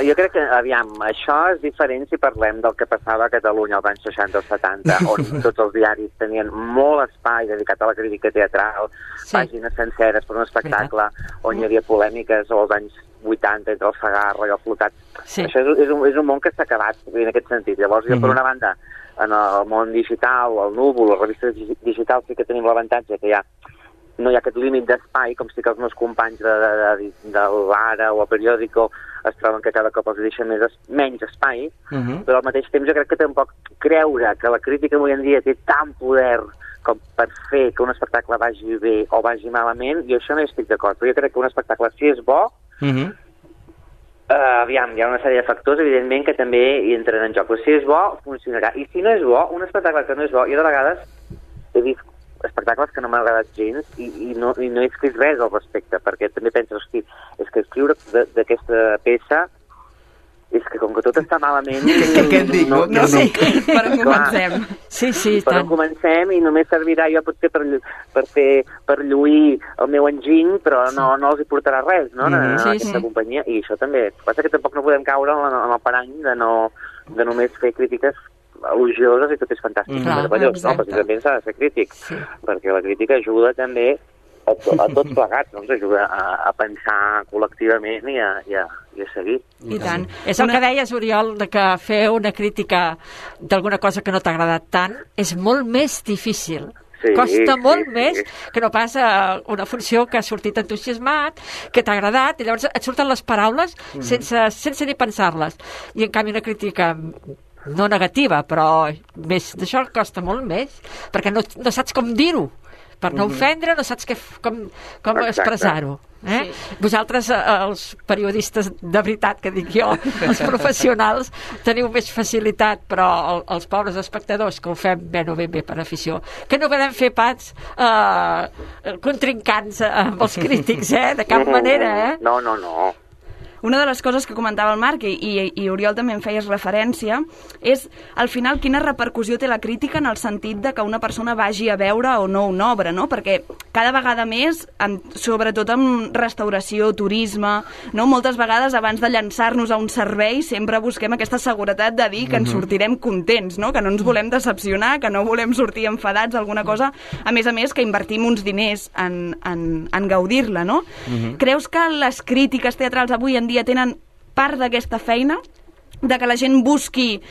jo crec que, aviam, això és diferent si parlem del que passava a Catalunya als anys 60 o 70, on tots els diaris tenien molt espai dedicat a la crítica teatral, pàgines senceres per un espectacle, on hi havia polèmiques als anys 80 entre el Segarra i el Flotat. Això és un món que s'ha acabat en aquest sentit. Llavors, jo, per una banda, en el món digital, el núvol, les revistes digitals, sí que tenim l'avantatge que no hi ha aquest límit d'espai, com si que els meus companys de l'Ara o el Periódico es troben que cada cop els deixen menys espai, però al mateix temps jo crec que tampoc creure que la crítica avui en dia té tant poder com per fer que un espectacle vagi bé o vagi malament, jo això no hi estic d'acord. Però jo crec que un espectacle, si és bo, aviam, hi ha una sèrie de factors, evidentment, que també hi entren en joc. Però si és bo, funcionarà. I si no és bo, un espectacle que no és bo, jo de vegades he vist espectacles que no m'han agradat gens i no he escrit res al respecte, perquè també penso, hosti, és que escriure d'aquesta peça és que com que tot està malament... Què et dic? No sé, per on comencem. Sí, per on comencem i només servirà jo potser per lluir el meu enginy, però no els hi portarà res, no?, aquesta companyia. I això també. Passa que tampoc no podem caure en el parany de només fer crítiques elogioses i tot és fantàstic. Precisament s'ha de ser crític, perquè la crítica ajuda també a tots plegats, no? Ens ajuda a pensar col·lectivament i a seguir. I tant. És el que deies, Oriol, que fer una crítica d'alguna cosa que no t'ha agradat tant és molt més difícil. Costa molt més que no pas una funció que ha sortit entusiasmat, que t'ha agradat, i llavors et surten les paraules sense ni pensar-les. I en canvi una crítica no negativa, però més d'això costa molt més, perquè no saps com dir-ho. Per no ofendre, no saps com expressar-ho. Vosaltres, els periodistes de veritat, que dic jo, els professionals, teniu més facilitat, però els pobres espectadors, que ho fem ben o ben bé per afició, que no podem fer pas contrincants amb els crítics, de cap manera, No. Una de les coses que comentava el Marc, i Oriol també en feies referència, és, al final, quina repercussió té la crítica en el sentit de que una persona vagi a veure o no una obra, no? Perquè cada vegada més, sobretot en restauració, turisme, no? Moltes vegades, abans de llançar-nos a un servei, sempre busquem aquesta seguretat de dir que ens sortirem contents, no? Que no ens volem decepcionar, que no volem sortir enfadats, alguna cosa, a més, que invertim uns diners en gaudir-la, no? Creus que les crítiques teatrals avui en dia tenen part d'aquesta feina, de que la gent busqui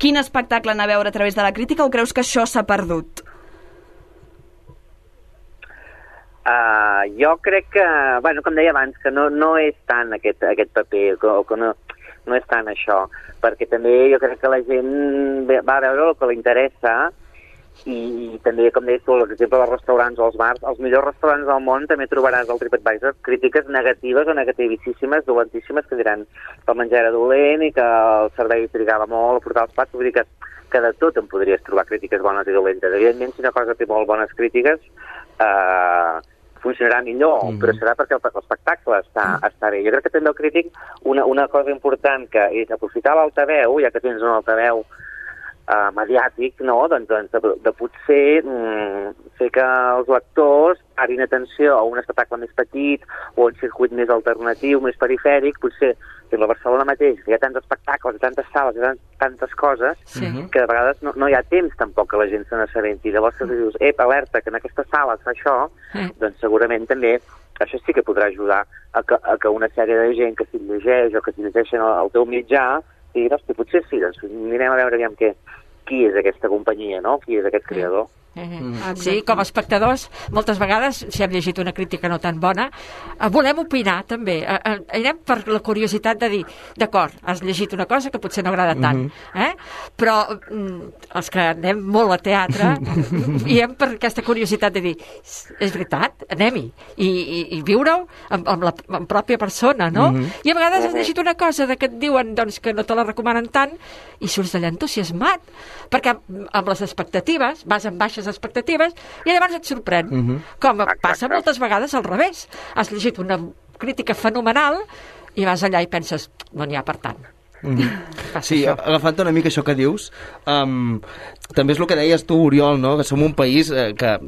quin espectacle anar a veure a través de la crítica, o creus que això s'ha perdut? Jo crec que, com deia abans, que no és tant aquest paper, que no és tant això, perquè també jo crec que la gent va a veure el que li interessa, i també, com deies tu, l'exemple dels restaurants o els bars, els millors restaurants del món també trobaràs al TripAdvisor crítiques negatives o negativíssimes, dolentíssimes, que diran que el menjar era dolent i que el servei trigava molt a portar els plats. Vull dir que de tot en podries trobar crítiques bones i dolentes. Evidentment, si una cosa té molt bones crítiques, funcionarà millor, però serà perquè l'espectacle està bé. Jo crec que també el crític, una cosa important que és aprofitar l'altaveu, ja que tens un altaveu mediàtic, no? Doncs de potser fer que els lectors parin atenció a un espectacle més petit o un circuit més alternatiu, més perifèric. Potser que a Barcelona mateix hi ha tants espectacles, tantes sales, tantes coses, que de vegades no hi ha temps tampoc que la gent se n'assabenti. Llavors que dius, alerta, que en aquesta sala es fa això, doncs segurament també això sí que podrà ajudar a que una sèrie de gent que s'hi llegeix o que s'hi llegeixen al teu mitjà diguin, hosti, potser sí, doncs anirem a veure aviam qui és aquesta companyia, no? Qui és aquest creador. Sí, com a espectadors, moltes vegades, si hem llegit una crítica no tan bona, volem opinar també. Anem per la curiositat de dir, d'acord, has llegit una cosa que potser no agrada tant, però els que anem molt a teatre i hem per aquesta curiositat de dir, és veritat, anem-hi, i viure-ho amb la pròpia persona, no? I a vegades has llegit una cosa que et diuen que no te la recomanen tant i surts d'allà entusiasmat, perquè amb les expectatives, vas amb baixes expectatives i llavors et sorprèn. Com passa moltes vegades al revés. Has llegit una crítica fenomenal i vas allà i penses, no n'hi ha per tant. Sí, agafant una mica això que dius, també és el que deies tu, Oriol, no? Que som un país que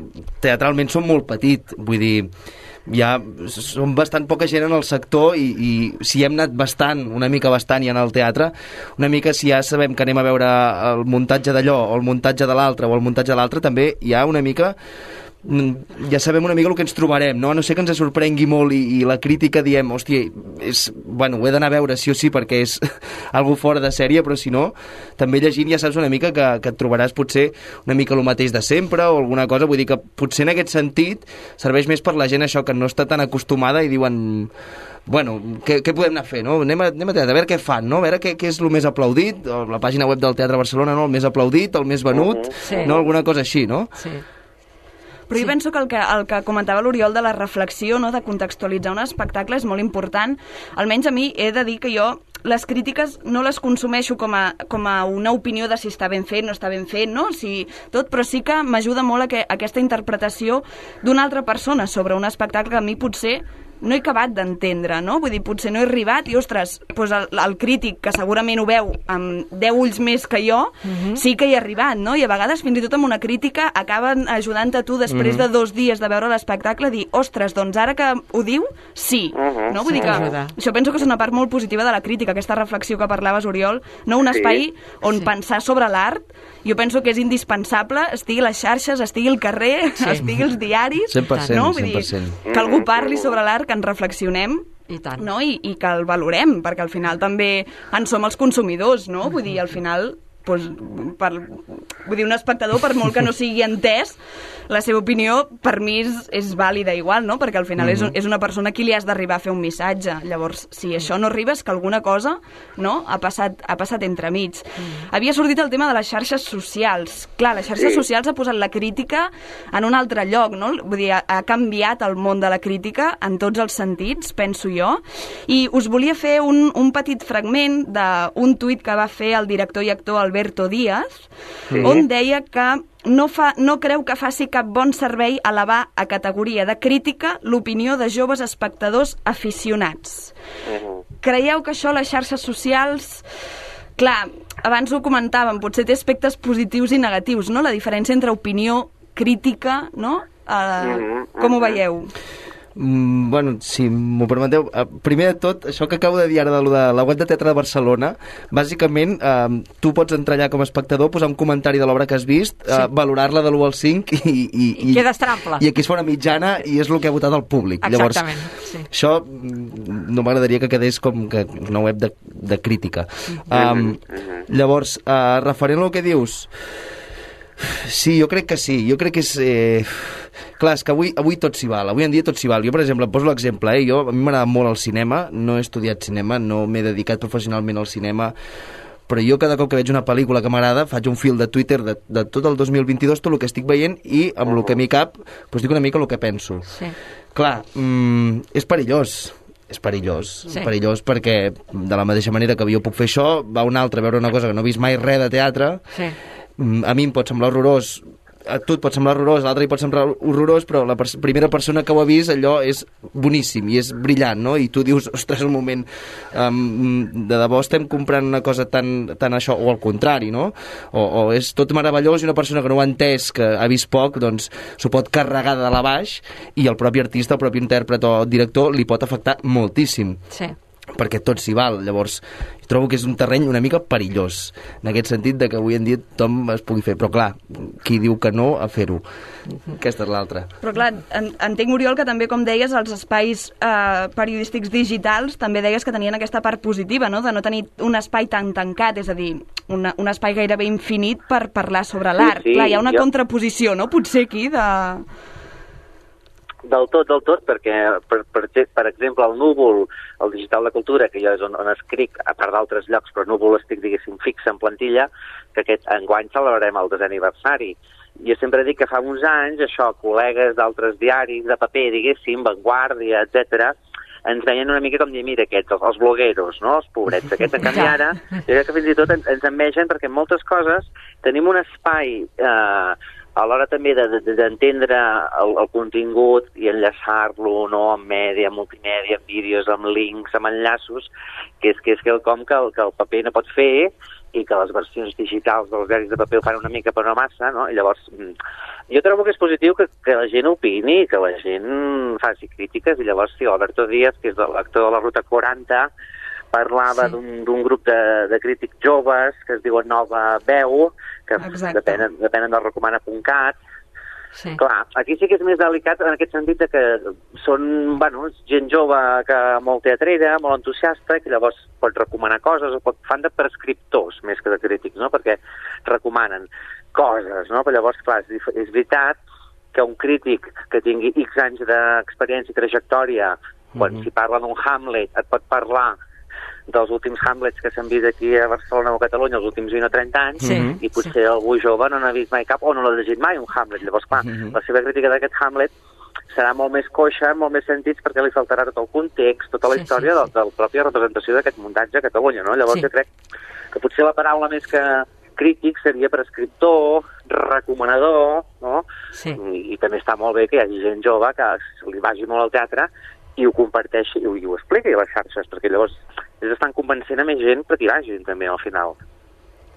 teatralment som molt petit, vull dir, ja som bastant poca gent en el sector i si hem anat una mica bastant ja en el teatre, una mica si ja sabem que anem a veure el muntatge d'allò o el muntatge de l'altre o el muntatge de l'altre, també hi ha una mica ja sabem una mica el que ens trobarem, no? A no ser que ens sorprengui molt i la crítica diem, hòstia, ho he d'anar a veure sí o sí perquè és algo fora de sèrie, però si no, també llegint ja saps una mica que et trobaràs potser una mica el mateix de sempre o alguna cosa, vull dir que potser en aquest sentit serveix més per la gent això que no està tan acostumada i diuen bueno, què podem anar a fer, no? Anem a teatre, a veure què fan, no? A veure què és el més aplaudit, la pàgina web del Teatre Barcelona, no? El més aplaudit, el més venut, no? Alguna cosa així, no? Sí. Però jo penso que el que comentava l'Oriol de la reflexió, no, de contextualitzar un espectacle és molt important. Almenys a mi he de dir que jo les crítiques no les consumeixo com a una opinió de si està ben fet, no està ben fet, no? Però sí que m'ajuda molt aquesta interpretació d'una altra persona sobre un espectacle que a mi potser no he acabat d'entendre, no? Vull dir, potser no he arribat i, ostres, doncs el crític, que segurament ho veu amb 10 ulls més que jo, sí que hi ha arribat, no? I a vegades, fins i tot amb una crítica, acaben ajudant-te tu, després de 2 dies de veure l'espectacle, a dir, ostres, doncs ara que ho diu, sí. No? Vull dir que això penso que és una part molt positiva de la crítica, aquesta reflexió que parlaves, Oriol, no? Un espai on pensar sobre l'art, jo penso que és indispensable, estigui a les xarxes, estigui al carrer, estigui als diaris, 100%, no? Vull dir, que algú parli sobre l'art, que en reflexionem, i tant. No? I que el valorem, perquè al final també en som els consumidors, no? Vull dir, al final, doncs, vull dir, un espectador, per molt que no sigui entès, la seva opinió per mi és vàlida igual, no? Perquè al final és una persona a qui li has d'arribar a fer un missatge. Llavors, si això no arriba és que alguna cosa, no? ha passat entremig. Havia sortit el tema de les xarxes socials. Clar, les xarxes socials ha posat la crítica en un altre lloc, no? Vull dir, ha canviat el món de la crítica en tots els sentits, penso jo. I us volia fer un petit fragment d'un tuit que va fer el director i actor Alberto Díaz, on deia que no creu que faci cap bon servei elevar a categoria de crítica l'opinió de joves espectadors aficionats. Creieu que això, les xarxes socials... Clar, abans ho comentàvem, potser té aspectes positius i negatius, no? La diferència entre opinió, crítica, no? Com ho veieu? Bueno, si m'ho permeteu, primer de tot, això que acabo de dir ara de la web de Teatre de Barcelona, bàsicament tu pots entrar allà com a espectador, posar un comentari de l'obra que has vist, valorar-la de l'1 al 5 i quedes trample. I aquí es fa una mitjana i és el que ha votat el públic. Exactament. Llavors, això no m'agradaria que quedés com que una web de crítica. Llavors, referent al que dius, sí, jo crec que sí. Jo crec que és... Clar, és que avui tot s'hi val. Avui en dia tot s'hi val. Jo, per exemple, poso l'exemple. A mi m'agrada molt el cinema. No he estudiat cinema, no m'he dedicat professionalment al cinema, però jo cada cop que veig una pel·lícula que m'agrada faig un fil de Twitter de tot el 2022, tot el que estic veient, i amb el que m'hi cap doncs dic una mica el que penso. Clar, és perillós. És perillós perquè de la mateixa manera que jo puc fer això, va un altre a veure una cosa que no he vist mai res de teatre, a mi em pot semblar horrorós, a tu et pot semblar horrorós, a l'altre hi pot semblar horrorós, però la primera persona que ho ha vist, allò és boníssim i és brillant, no? I tu dius, ostres, un moment, de debò estem comprant una cosa tan això, o al contrari, no? O és tot meravellós i una persona que no ho ha entès, que ha vist poc, doncs s'ho pot carregar de dalt a baix i el propi artista, el propi intèrpret o director li pot afectar moltíssim. Perquè tot s'hi val. Llavors, trobo que és un terreny una mica perillós, en aquest sentit de que avui en dia tothom es pugui fer. Però clar, qui diu que no a fer-ho? Aquesta és l'altra. Però clar, entenc, Oriol, que també, com deies, els espais periodístics digitals també deies que tenien aquesta part positiva, no? De no tenir un espai tan tancat, és a dir, un espai gairebé infinit per parlar sobre l'art. Clar, hi ha una contraposició, no? Potser aquí de... Del tot, perquè, per exemple, el Núvol, el Digital de Cultura, que jo és on escric, a part d'altres llocs, però Núvol estic, diguéssim, fixa en plantilla, que aquest enguany celebrarem el 10è aniversari. Jo sempre dic que fa uns anys, això, col·legues d'altres diaris de paper, diguéssim, Vanguardia, etc., ens veien una mica com dir, mira, aquests, els blogueros, no?, els pobrets. Aquests, en canvi, ara, jo crec que fins i tot ens envegen perquè en moltes coses tenim un espai a l'hora també d'entendre el contingut i enllaçar-lo, no?, amb mèdia, multimèdia, amb vídeos, amb links, amb enllaços, que és quelcom que el paper no pot fer i que les versions digitals dels diaris de paper ho fan una mica però no massa, no? I llavors jo trobo que és positiu que la gent opini, que la gent faci crítiques, i llavors sí, Alberto Díaz, que és l'actor de la Ruta 40, parlava d'un grup de crítics joves que es diuen Nova Veu, que depenen del recomana.cat. Sí. Clar, aquí sí que és més delicat en aquest sentit que són, gent jove, que molt teatrera, molt entusiasta, que llavors pot recomanar coses, o fan de prescriptors més que de crítics, no?, perquè recomanen coses, no? Però llavors, clar, és veritat que un crític que tingui X anys d'experiència i trajectòria, quan si parla d'un Hamlet, et pot parlar dels últims Hamlets que s'han vist aquí a Barcelona o a Catalunya els últims 20 o 30 anys, i potser algú jove no n'ha vist mai cap o no l'ha llegit mai un Hamlet. Llavors, clar, la seva crítica d'aquest Hamlet serà molt més coixa, molt més sentits, perquè li faltarà tot el context, tota la història de la pròpia representació d'aquest muntatge a Catalunya, no? Llavors jo crec que potser la paraula més que crític seria prescriptor, recomanador, no? Sí. I també està molt bé que hi hagi gent jove que li vagi molt al teatre i ho comparteixi i ho expliqui a les xarxes, perquè llavors ells estan convencent a més gent perquè hi vagin també al final.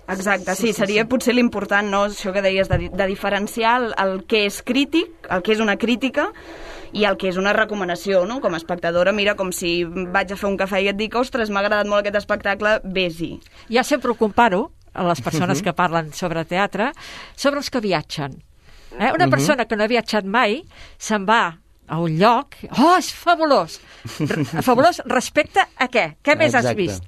Exacte, sí, seria potser l'important, no?, això que deies, de diferenciar el que és crític, el que és una crítica i el que és una recomanació, no? Com a espectadora, mira, com si vaig a fer un cafè i et dic, ostres, m'ha agradat molt aquest espectacle, vés-hi. Ja sempre ho comparo a les persones que parlen sobre teatre, sobre els que viatgen. Una persona que no ha viatjat mai se'n va a un lloc, és fabulós! Fabulós respecte a què? Què més has vist?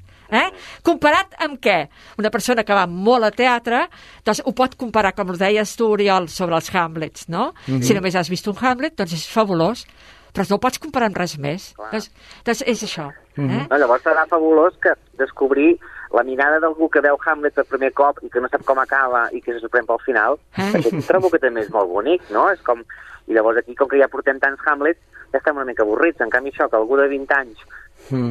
Comparat amb què? Una persona que va molt a teatre, doncs ho pot comparar, com ho deies tu, Oriol, sobre els Hamlets, no? Si només has vist un Hamlet, doncs és fabulós, però no ho pots comparar amb res més. Doncs és això. Llavors serà fabulós que descobrir la mirada d'algú que veu Hamlet per primer cop i que no sap com acaba i que se sorprèn pel final, perquè trobo que també és molt bonic, no? És com... I llavors aquí, com que ja portem tants Hamlets, ja estem una mica avorrits. En canvi, això, que algú de 20 anys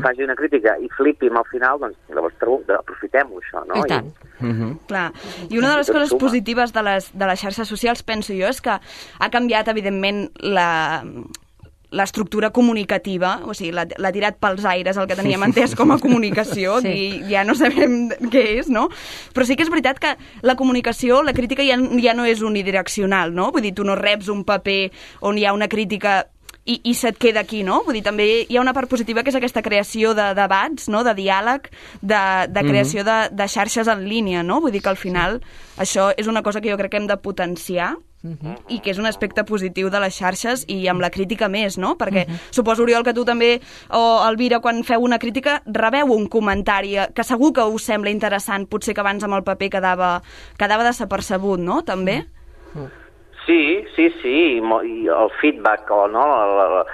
faci una crítica i flipi al final, doncs llavors aprofitem-ho, això, no? I tant. Clar. I una de les coses positives de les xarxes socials, penso jo, és que ha canviat, evidentment, l'estructura comunicativa, o sigui, l'ha tirat pels aires el que teníem entès com a comunicació, i ja no sabem què és, no? Però sí que és veritat que la comunicació, la crítica ja no és unidireccional, no? Vull dir, tu no reps un paper on hi ha una crítica i se't queda aquí, no? Vull dir, també hi ha una part positiva que és aquesta creació de debats, no?, de diàleg, de creació de xarxes en línia, no? Vull dir que al final això és una cosa que jo crec que hem de potenciar i que és un aspecte positiu de les xarxes i amb la crítica més, no? Perquè suposo, Oriol, que tu també, o Elvira, quan feu una crítica, rebeu un comentari que segur que us sembla interessant, potser que abans amb el paper quedava desapercebut, no? També? Sí, i el feedback, no?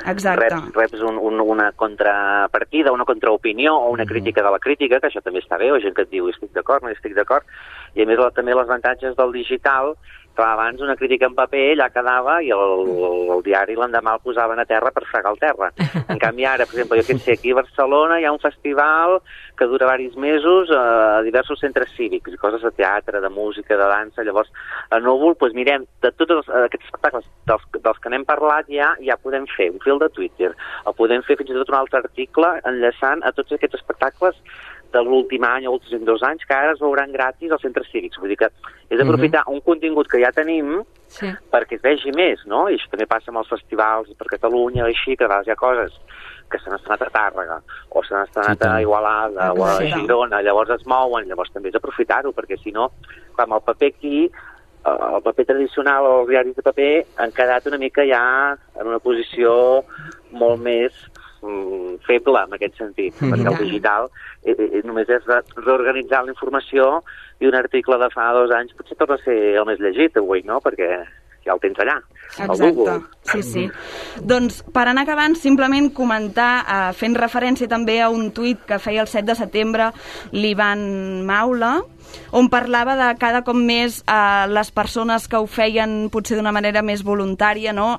Reps una contrapartida, una contraopinió o una crítica de la crítica, que això també està bé, o gent que et diu estic d'acord, no estic d'acord, i a més també els avantatges del digital, que abans una crítica en paper allà quedava i el diari l'endemà el posaven a terra per fregar el terra. En canvi ara, per exemple, jo que sé, aquí a Barcelona hi ha un festival que dura diversos mesos a diversos centres cívics, coses de teatre, de música, de dansa. Llavors, a Núvol, doncs mirem, de tots aquests espectacles dels que n'hem parlat ja podem fer un fil de Twitter, o podem fer fins i tot un altre article enllaçant a tots aquests espectacles de l'últim any o últims 2 anys, que ara es veuran gratis als centres cívics. Vull dir que és aprofitar un contingut que ja tenim perquè es vegi més, no? I això també passa amb els festivals per Catalunya, així, que a vegades hi ha coses que s'han estrenat a Tàrrega o s'han estrenat a Igualada o a Girona, llavors es mouen, llavors també és aprofitar-ho, perquè si no, clar, amb el paper aquí, el paper tradicional o els diaris de paper han quedat una mica ja en una posició molt més feble en aquest sentit, perquè el digital només és reorganitzar la informació i un article de fa 2 anys potser torna a ser el més llegit avui, no? Perquè ja el tens allà, al Google. Sí. Doncs per anar acabant, simplement comentar, fent referència també a un tuit que feia el 7 de setembre l'Ivan Maula, on parlava de cada cop més les persones que ho feien potser d'una manera més voluntària, no?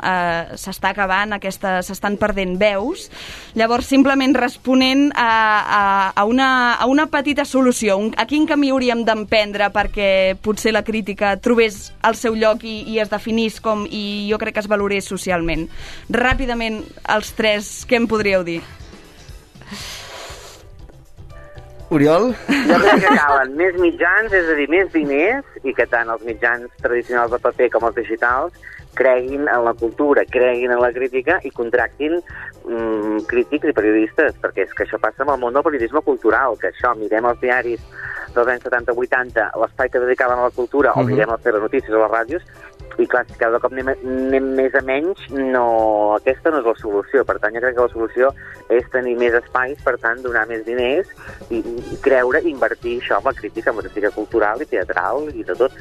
S'està acabant, s'estan perdent veus. Llavors, simplement responent a una petita solució, a quin camí hauríem d'emprendre perquè potser la crítica trobés el seu lloc i es definís com, i jo crec que es valorés socialment. Ràpidament, els tres, què em podríeu dir? Oriol? Jo crec que calen més mitjans, és a dir, més diners, i que tant els mitjans tradicionals de paper com els digitals creguin en la cultura, creguin en la crítica i contractin crítics i periodistes, perquè és que això passa amb el món del periodisme cultural, que això, mirem els diaris dels anys 70-80, l'espai que dedicaven a la cultura, o mirem les telenotícies o les ràdios, i clar, si cada cop anem més a menys, aquesta no és la solució. Per tant, jo crec que la solució és tenir més espais, per tant, donar més diners i creure, invertir això en la crítica cultural i teatral i de tot.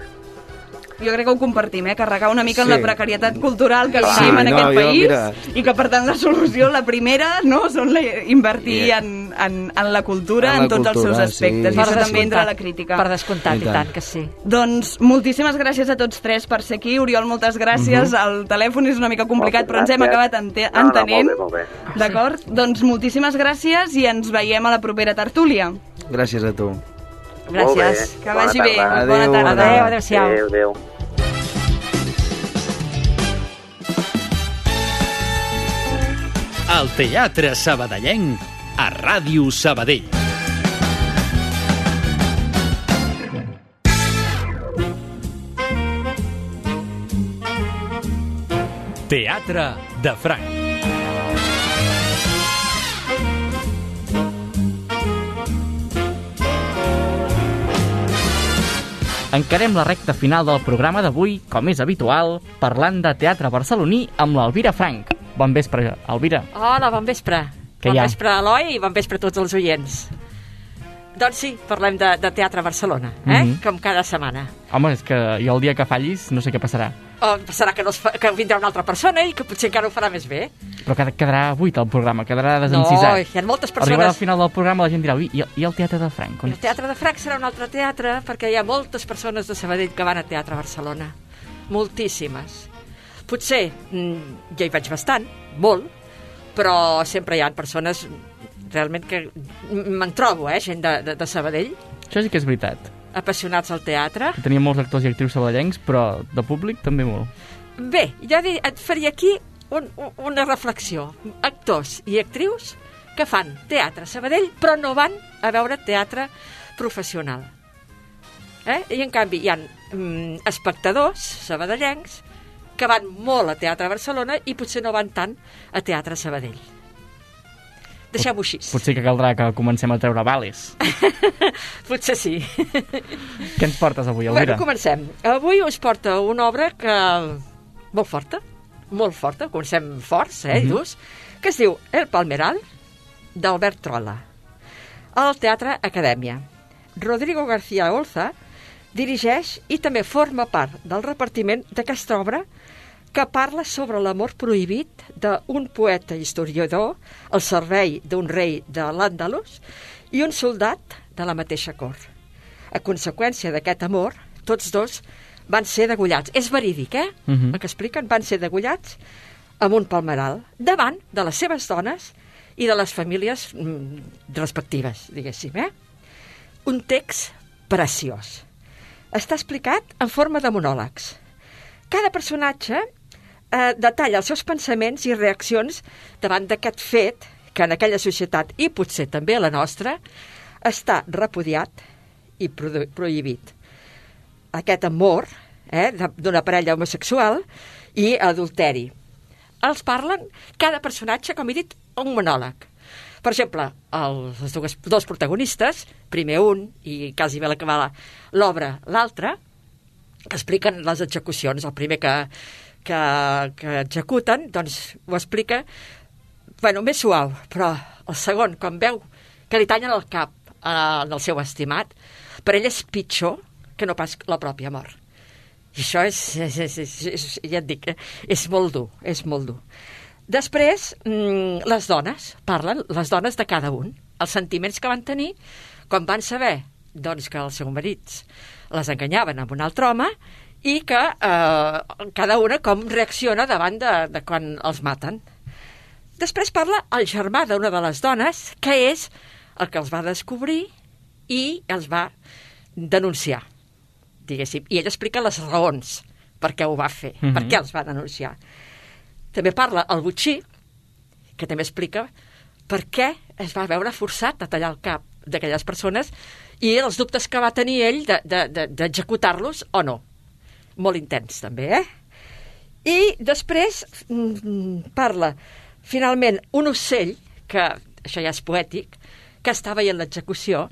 Jo crec que ho compartim, carregar una mica en la precarietat cultural que vivim en aquest país, i que, per tant, la solució, la primera, són invertir en la cultura, en tots els seus aspectes, i això també entra a la crítica. Per descomptat, i tant que sí. Doncs moltíssimes gràcies a tots tres per ser aquí. Oriol, moltes gràcies. El telèfon és una mica complicat, però ens hem acabat entenent. Molt bé. D'acord? Doncs moltíssimes gràcies i ens veiem a la propera tertúlia. Gràcies a tu. Gràcies. Que vagi bé. Bona tarda. Adéu. Adéu. El Teatre Sabadellenc a Ràdio Sabadell. Teatre de Franc. Encarem la recta final del programa d'avui, com és habitual, parlant de teatre barceloní amb l'Elvira Frank. Bon vespre, Elvira. Hola, bon vespre. Què hi bon ha? Vespre, Eloi, i bon vespre a tots els oients. Doncs sí, parlem de Teatre Barcelona, com cada setmana. Home, és que jo el dia que fallis no sé què passarà. Passarà que vindrà una altra persona i que potser encara ho farà més bé. Però quedarà buit el programa, quedarà desencisat. No, hi ha moltes persones... Arribarà al final del programa la gent dirà, i el Teatre de Franc? El Teatre de Franc serà un altre teatre perquè hi ha moltes persones de Sabadell que van a Teatre Barcelona. Moltíssimes. Potser ja hi vaig bastant, molt, però sempre hi ha persones realment que me'n trobo, gent de Sabadell. Això sí que és veritat. Apassionats al teatre. Teníem molts actors i actrius sabadellencs, però de públic també molt. Bé, jo et faria aquí una reflexió. Actors i actrius que fan teatre a Sabadell, però no van a veure teatre professional. I en canvi hi ha espectadors sabadellencs que van molt a Teatre Barcelona i potser no van tant a Teatre Sabadell. Deixem-ho així. Potser que caldrà que comencem a treure vales. Potser sí. Què ens portes avui, Elvira? Bueno, comencem. Avui us porta una obra molt forta, comencem forts, durs, que es diu El Palmeral, d'Albert Trolla, al Teatre Acadèmia. Rodrigo García Olza dirigeix i també forma part del repartiment d'aquesta obra que parla sobre l'amor prohibit d'un poeta historiador al servei d'un rei de l'Àndalus i un soldat de la mateixa cort. A conseqüència d'aquest amor, tots dos van ser degollats. És verídic, El que expliquen, van ser degollats amb un palmeral davant de les seves dones i de les famílies respectives, diguéssim, Un text preciós. Està explicat en forma de monòlegs. Cada personatge detalla els seus pensaments i reaccions davant d'aquest fet que en aquella societat, i potser també a la nostra, està repudiat i prohibit. Aquest amor d'una parella homosexual i adulteri. Els parlen cada personatge, com he dit, un monòleg. Per exemple, els dos protagonistes, primer un i quasi bé l'acabar l'obra l'altre, que expliquen les execucions. El primer que executen, doncs ho explica més suau, però el segon, quan veu que li tallen el cap al seu estimat, per ell és pitjor que no pas la pròpia mort. I això ja et dic, és molt dur, és molt dur. Després, les dones parlen, les dones de cada un, els sentiments que van tenir quan van saber doncs, que els seus marits les enganyaven amb un altre home i que cada una com reacciona davant de quan els maten. Després parla el germà d'una de les dones, que és el que els va descobrir i els va denunciar, diguéssim. I ell explica les raons per què ho va fer, per què els va denunciar. També parla el botxí, que també explica per què es va veure forçat a tallar el cap d'aquelles persones i els dubtes que va tenir ell d'executar-los o no. Molt intens, també, I després parla, finalment, un ocell, que això ja és poètic, que està veient l'execució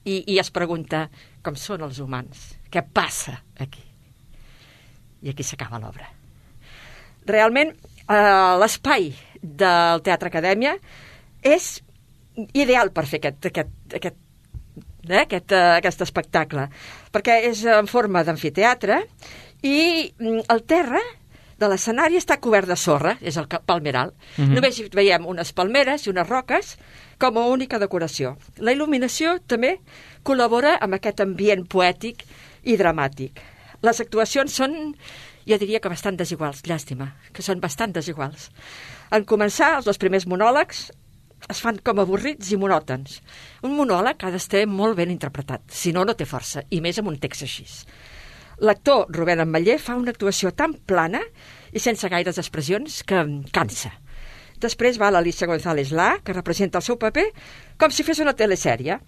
i es pregunta com són els humans, què passa aquí? I aquí s'acaba l'obra. Realment, l'espai del Teatre Acadèmia és ideal per fer aquest espectacle, perquè és en forma d'amfiteatre i el terra de l'escenari està cobert de sorra, és el palmeral. Només hi veiem unes palmeres i unes roques com a única decoració. La il·luminació també col·labora amb aquest ambient poètic i dramàtic. Les actuacions són, jo diria que bastant desiguals, llàstima, que són bastant desiguals. En començar, els 2 primers monòlegs es fan com avorrits i monòtons. Un monòleg ha d'estar molt ben interpretat, si no, no té força, i més amb un text així. L'actor Rubén Ametller fa una actuació tan plana i sense gaires expressions que cansa. Després va l'Alicia González Lá, que representa el seu paper com si fes una telesèrie.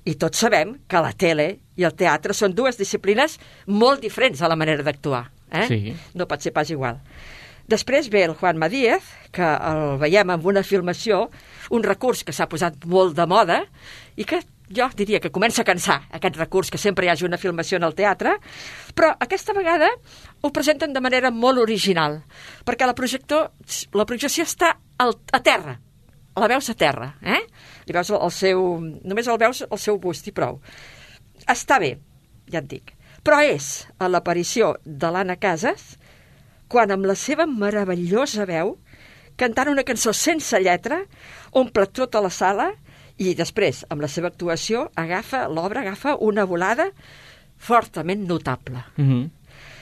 I tots sabem que la tele i el teatre són 2 disciplines molt diferents a la manera d'actuar. Sí. No pot ser pas igual. Després ve el Juanma Díaz, que el veiem amb una filmació, un recurs que s'ha posat molt de moda i que jo diria que comença a cansar aquest recurs que sempre hi hagi una filmació en el teatre, però aquesta vegada ho presenten de manera molt original, perquè la projecció està a terra, la veus a terra, Li veus només el veus el seu bust i prou. Està bé, ja et dic, però és a l'aparició de l'Anna Casas quan amb la seva meravellosa veu, cantant una cançó sense lletra, omple tota la sala i després, amb la seva actuació, l'obra agafa una volada fortament notable.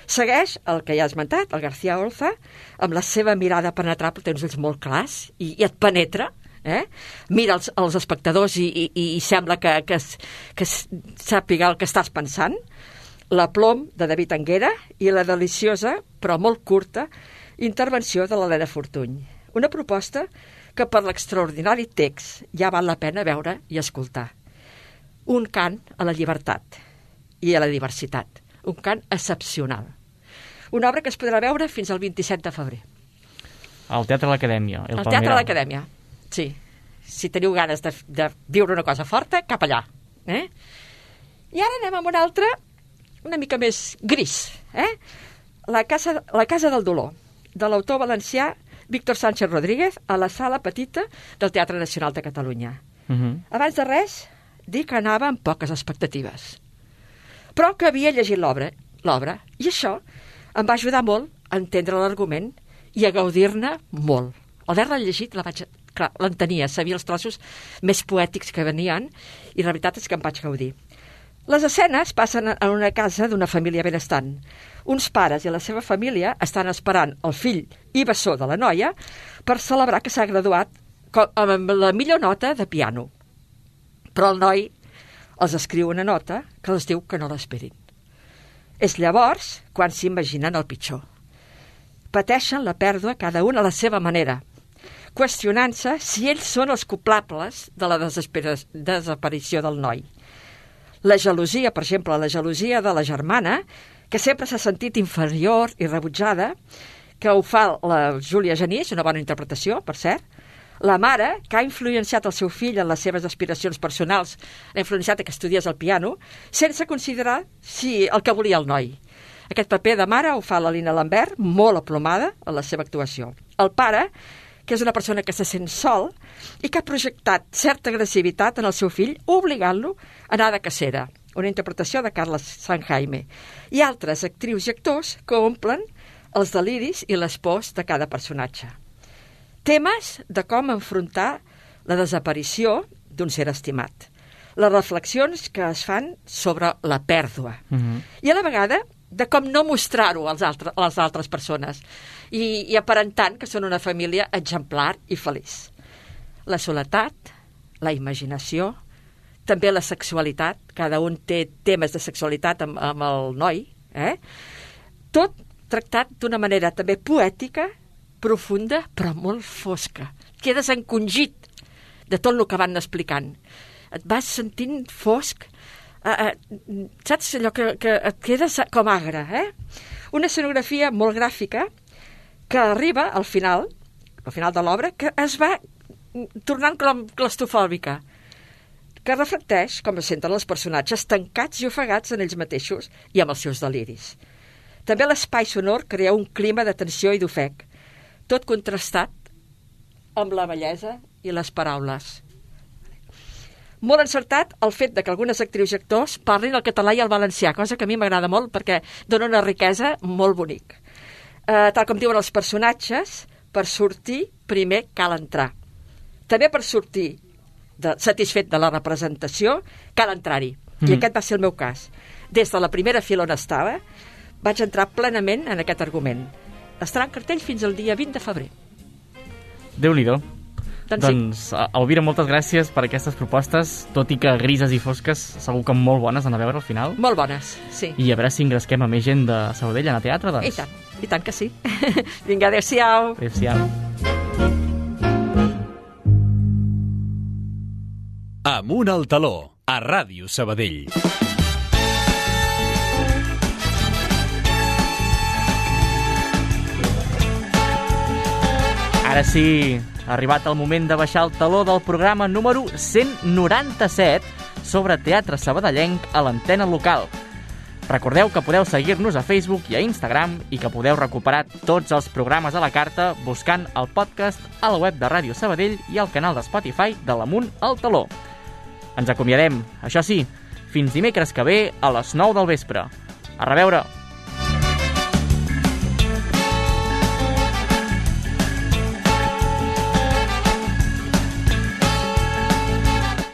Segueix el que ja has esmentat, el García Olza, amb la seva mirada penetrable, té uns ulls molt clars i et penetra, mira els espectadors i sembla que sàpiga el que estàs pensant. La plom de David Anguera i la deliciosa, però molt curta, intervenció de l'Helena Fortuny. Una proposta que per l'extraordinari text ja val la pena veure i escoltar. Un cant a la llibertat i a la diversitat. Un cant excepcional. Una obra que es podrà veure fins al 27 de febrer. Al Teatre de l'Acadèmia. Al Teatre de l'Acadèmia, sí. Si teniu ganes de viure una cosa forta, cap allà. I ara anem amb una altra, una mica més gris. La Casa del Dolor, de l'autor valencià Víctor Sánchez Rodríguez, a la sala petita del Teatre Nacional de Catalunya. Abans de res, dir que anava amb poques expectatives, però que havia llegit l'obra, i això em va ajudar molt a entendre l'argument i a gaudir-ne molt. Al haver-la llegit, l'entenia, sabia els trossos més poètics que venien, i la veritat és que em vaig gaudir. Les escenes passen en una casa d'una família benestant. Uns pares i la seva família estan esperant el fill i bessó de la noia per celebrar que s'ha graduat amb la millor nota de piano. Però el noi els escriu una nota que els diu que no l'esperin. És llavors quan s'imaginen el pitjor. Pateixen la pèrdua cada un a la seva manera, qüestionant-se si ells són els culpables de la desaparició del noi. La gelosia, per exemple, la gelosia de la germana, que sempre s'ha sentit inferior i rebutjada, que ho fa la Júlia Genís, una bona interpretació, per cert. La mare, que ha influenciat el seu fill en les seves aspiracions personals, l'ha influenciat que estudiés el piano, sense considerar si el que volia el noi. Aquest paper de mare ho fa la Lina Lambert, molt aplomada en la seva actuació. El pare, que és una persona que se sent sol i que ha projectat certa agressivitat en el seu fill, obligant-lo a anar de cacera. Una interpretació de Carles Sanjaime. I altres actrius i actors que omplen els deliris i les pors de cada personatge. Temes de com enfrontar la desaparició d'un ser estimat. les reflexions que es fan sobre la pèrdua. I a la vegada de com no mostrar-ho a les altres persones i aparentant que són una família exemplar i feliç. La soledat, la imaginació, també la sexualitat, cada un té temes de sexualitat amb el noi, tot tractat d'una manera també poètica, profunda, però molt fosca. Quedes encongit de tot el que van explicant. Et vas sentint fosc, saps allò que et quedes com agre, Una escenografia molt gràfica que arriba al final de l'obra, que es va tornant claustrofòbica, que reflecteix com es senten els personatges tancats i ofegats en ells mateixos i amb els seus deliris. També l'espai sonor crea un clima de tensió i d'ofec, tot contrastat amb la bellesa i les paraules. Molt encertat el fet de que algunes actrius i actors parlin el català i el valencià, cosa que a mi m'agrada molt perquè dona una riquesa molt bonic. Tal com diuen els personatges, per sortir primer cal entrar. També per sortir satisfet de la representació cal entrar-hi. I aquest va ser el meu cas. Des de la primera fila on estava, vaig entrar plenament en aquest argument. Estarà en cartell fins al dia 20 de febrer. Déu-n'hi-do. Doncs Elvira, moltes gràcies per aquestes propostes, tot i que grises i fosques, segur que molt bones d'anar a veure al final. Molt bones, sí. I a veure si engresquem a més gent de Sabadell a anar a teatre, doncs. I tant que sí. Vinga, adéu-siau. Adéu-siau. Amunt al taló, a Ràdio Sabadell. Ara sí, ha arribat el moment de baixar el taló del programa número 197 sobre teatre sabadellenc a l'antena local. Recordeu que podeu seguir-nos a Facebook i a Instagram i que podeu recuperar tots els programes a la carta buscant el podcast a la web de Ràdio Sabadell i al canal de Spotify de l'Amunt al Taló. Ens acomiadem, això sí, fins dimecres que ve a les 9 del vespre. A reveure!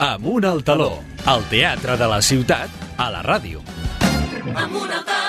Amunt al taló, el teatre de la ciutat a la ràdio. Amunt al taló.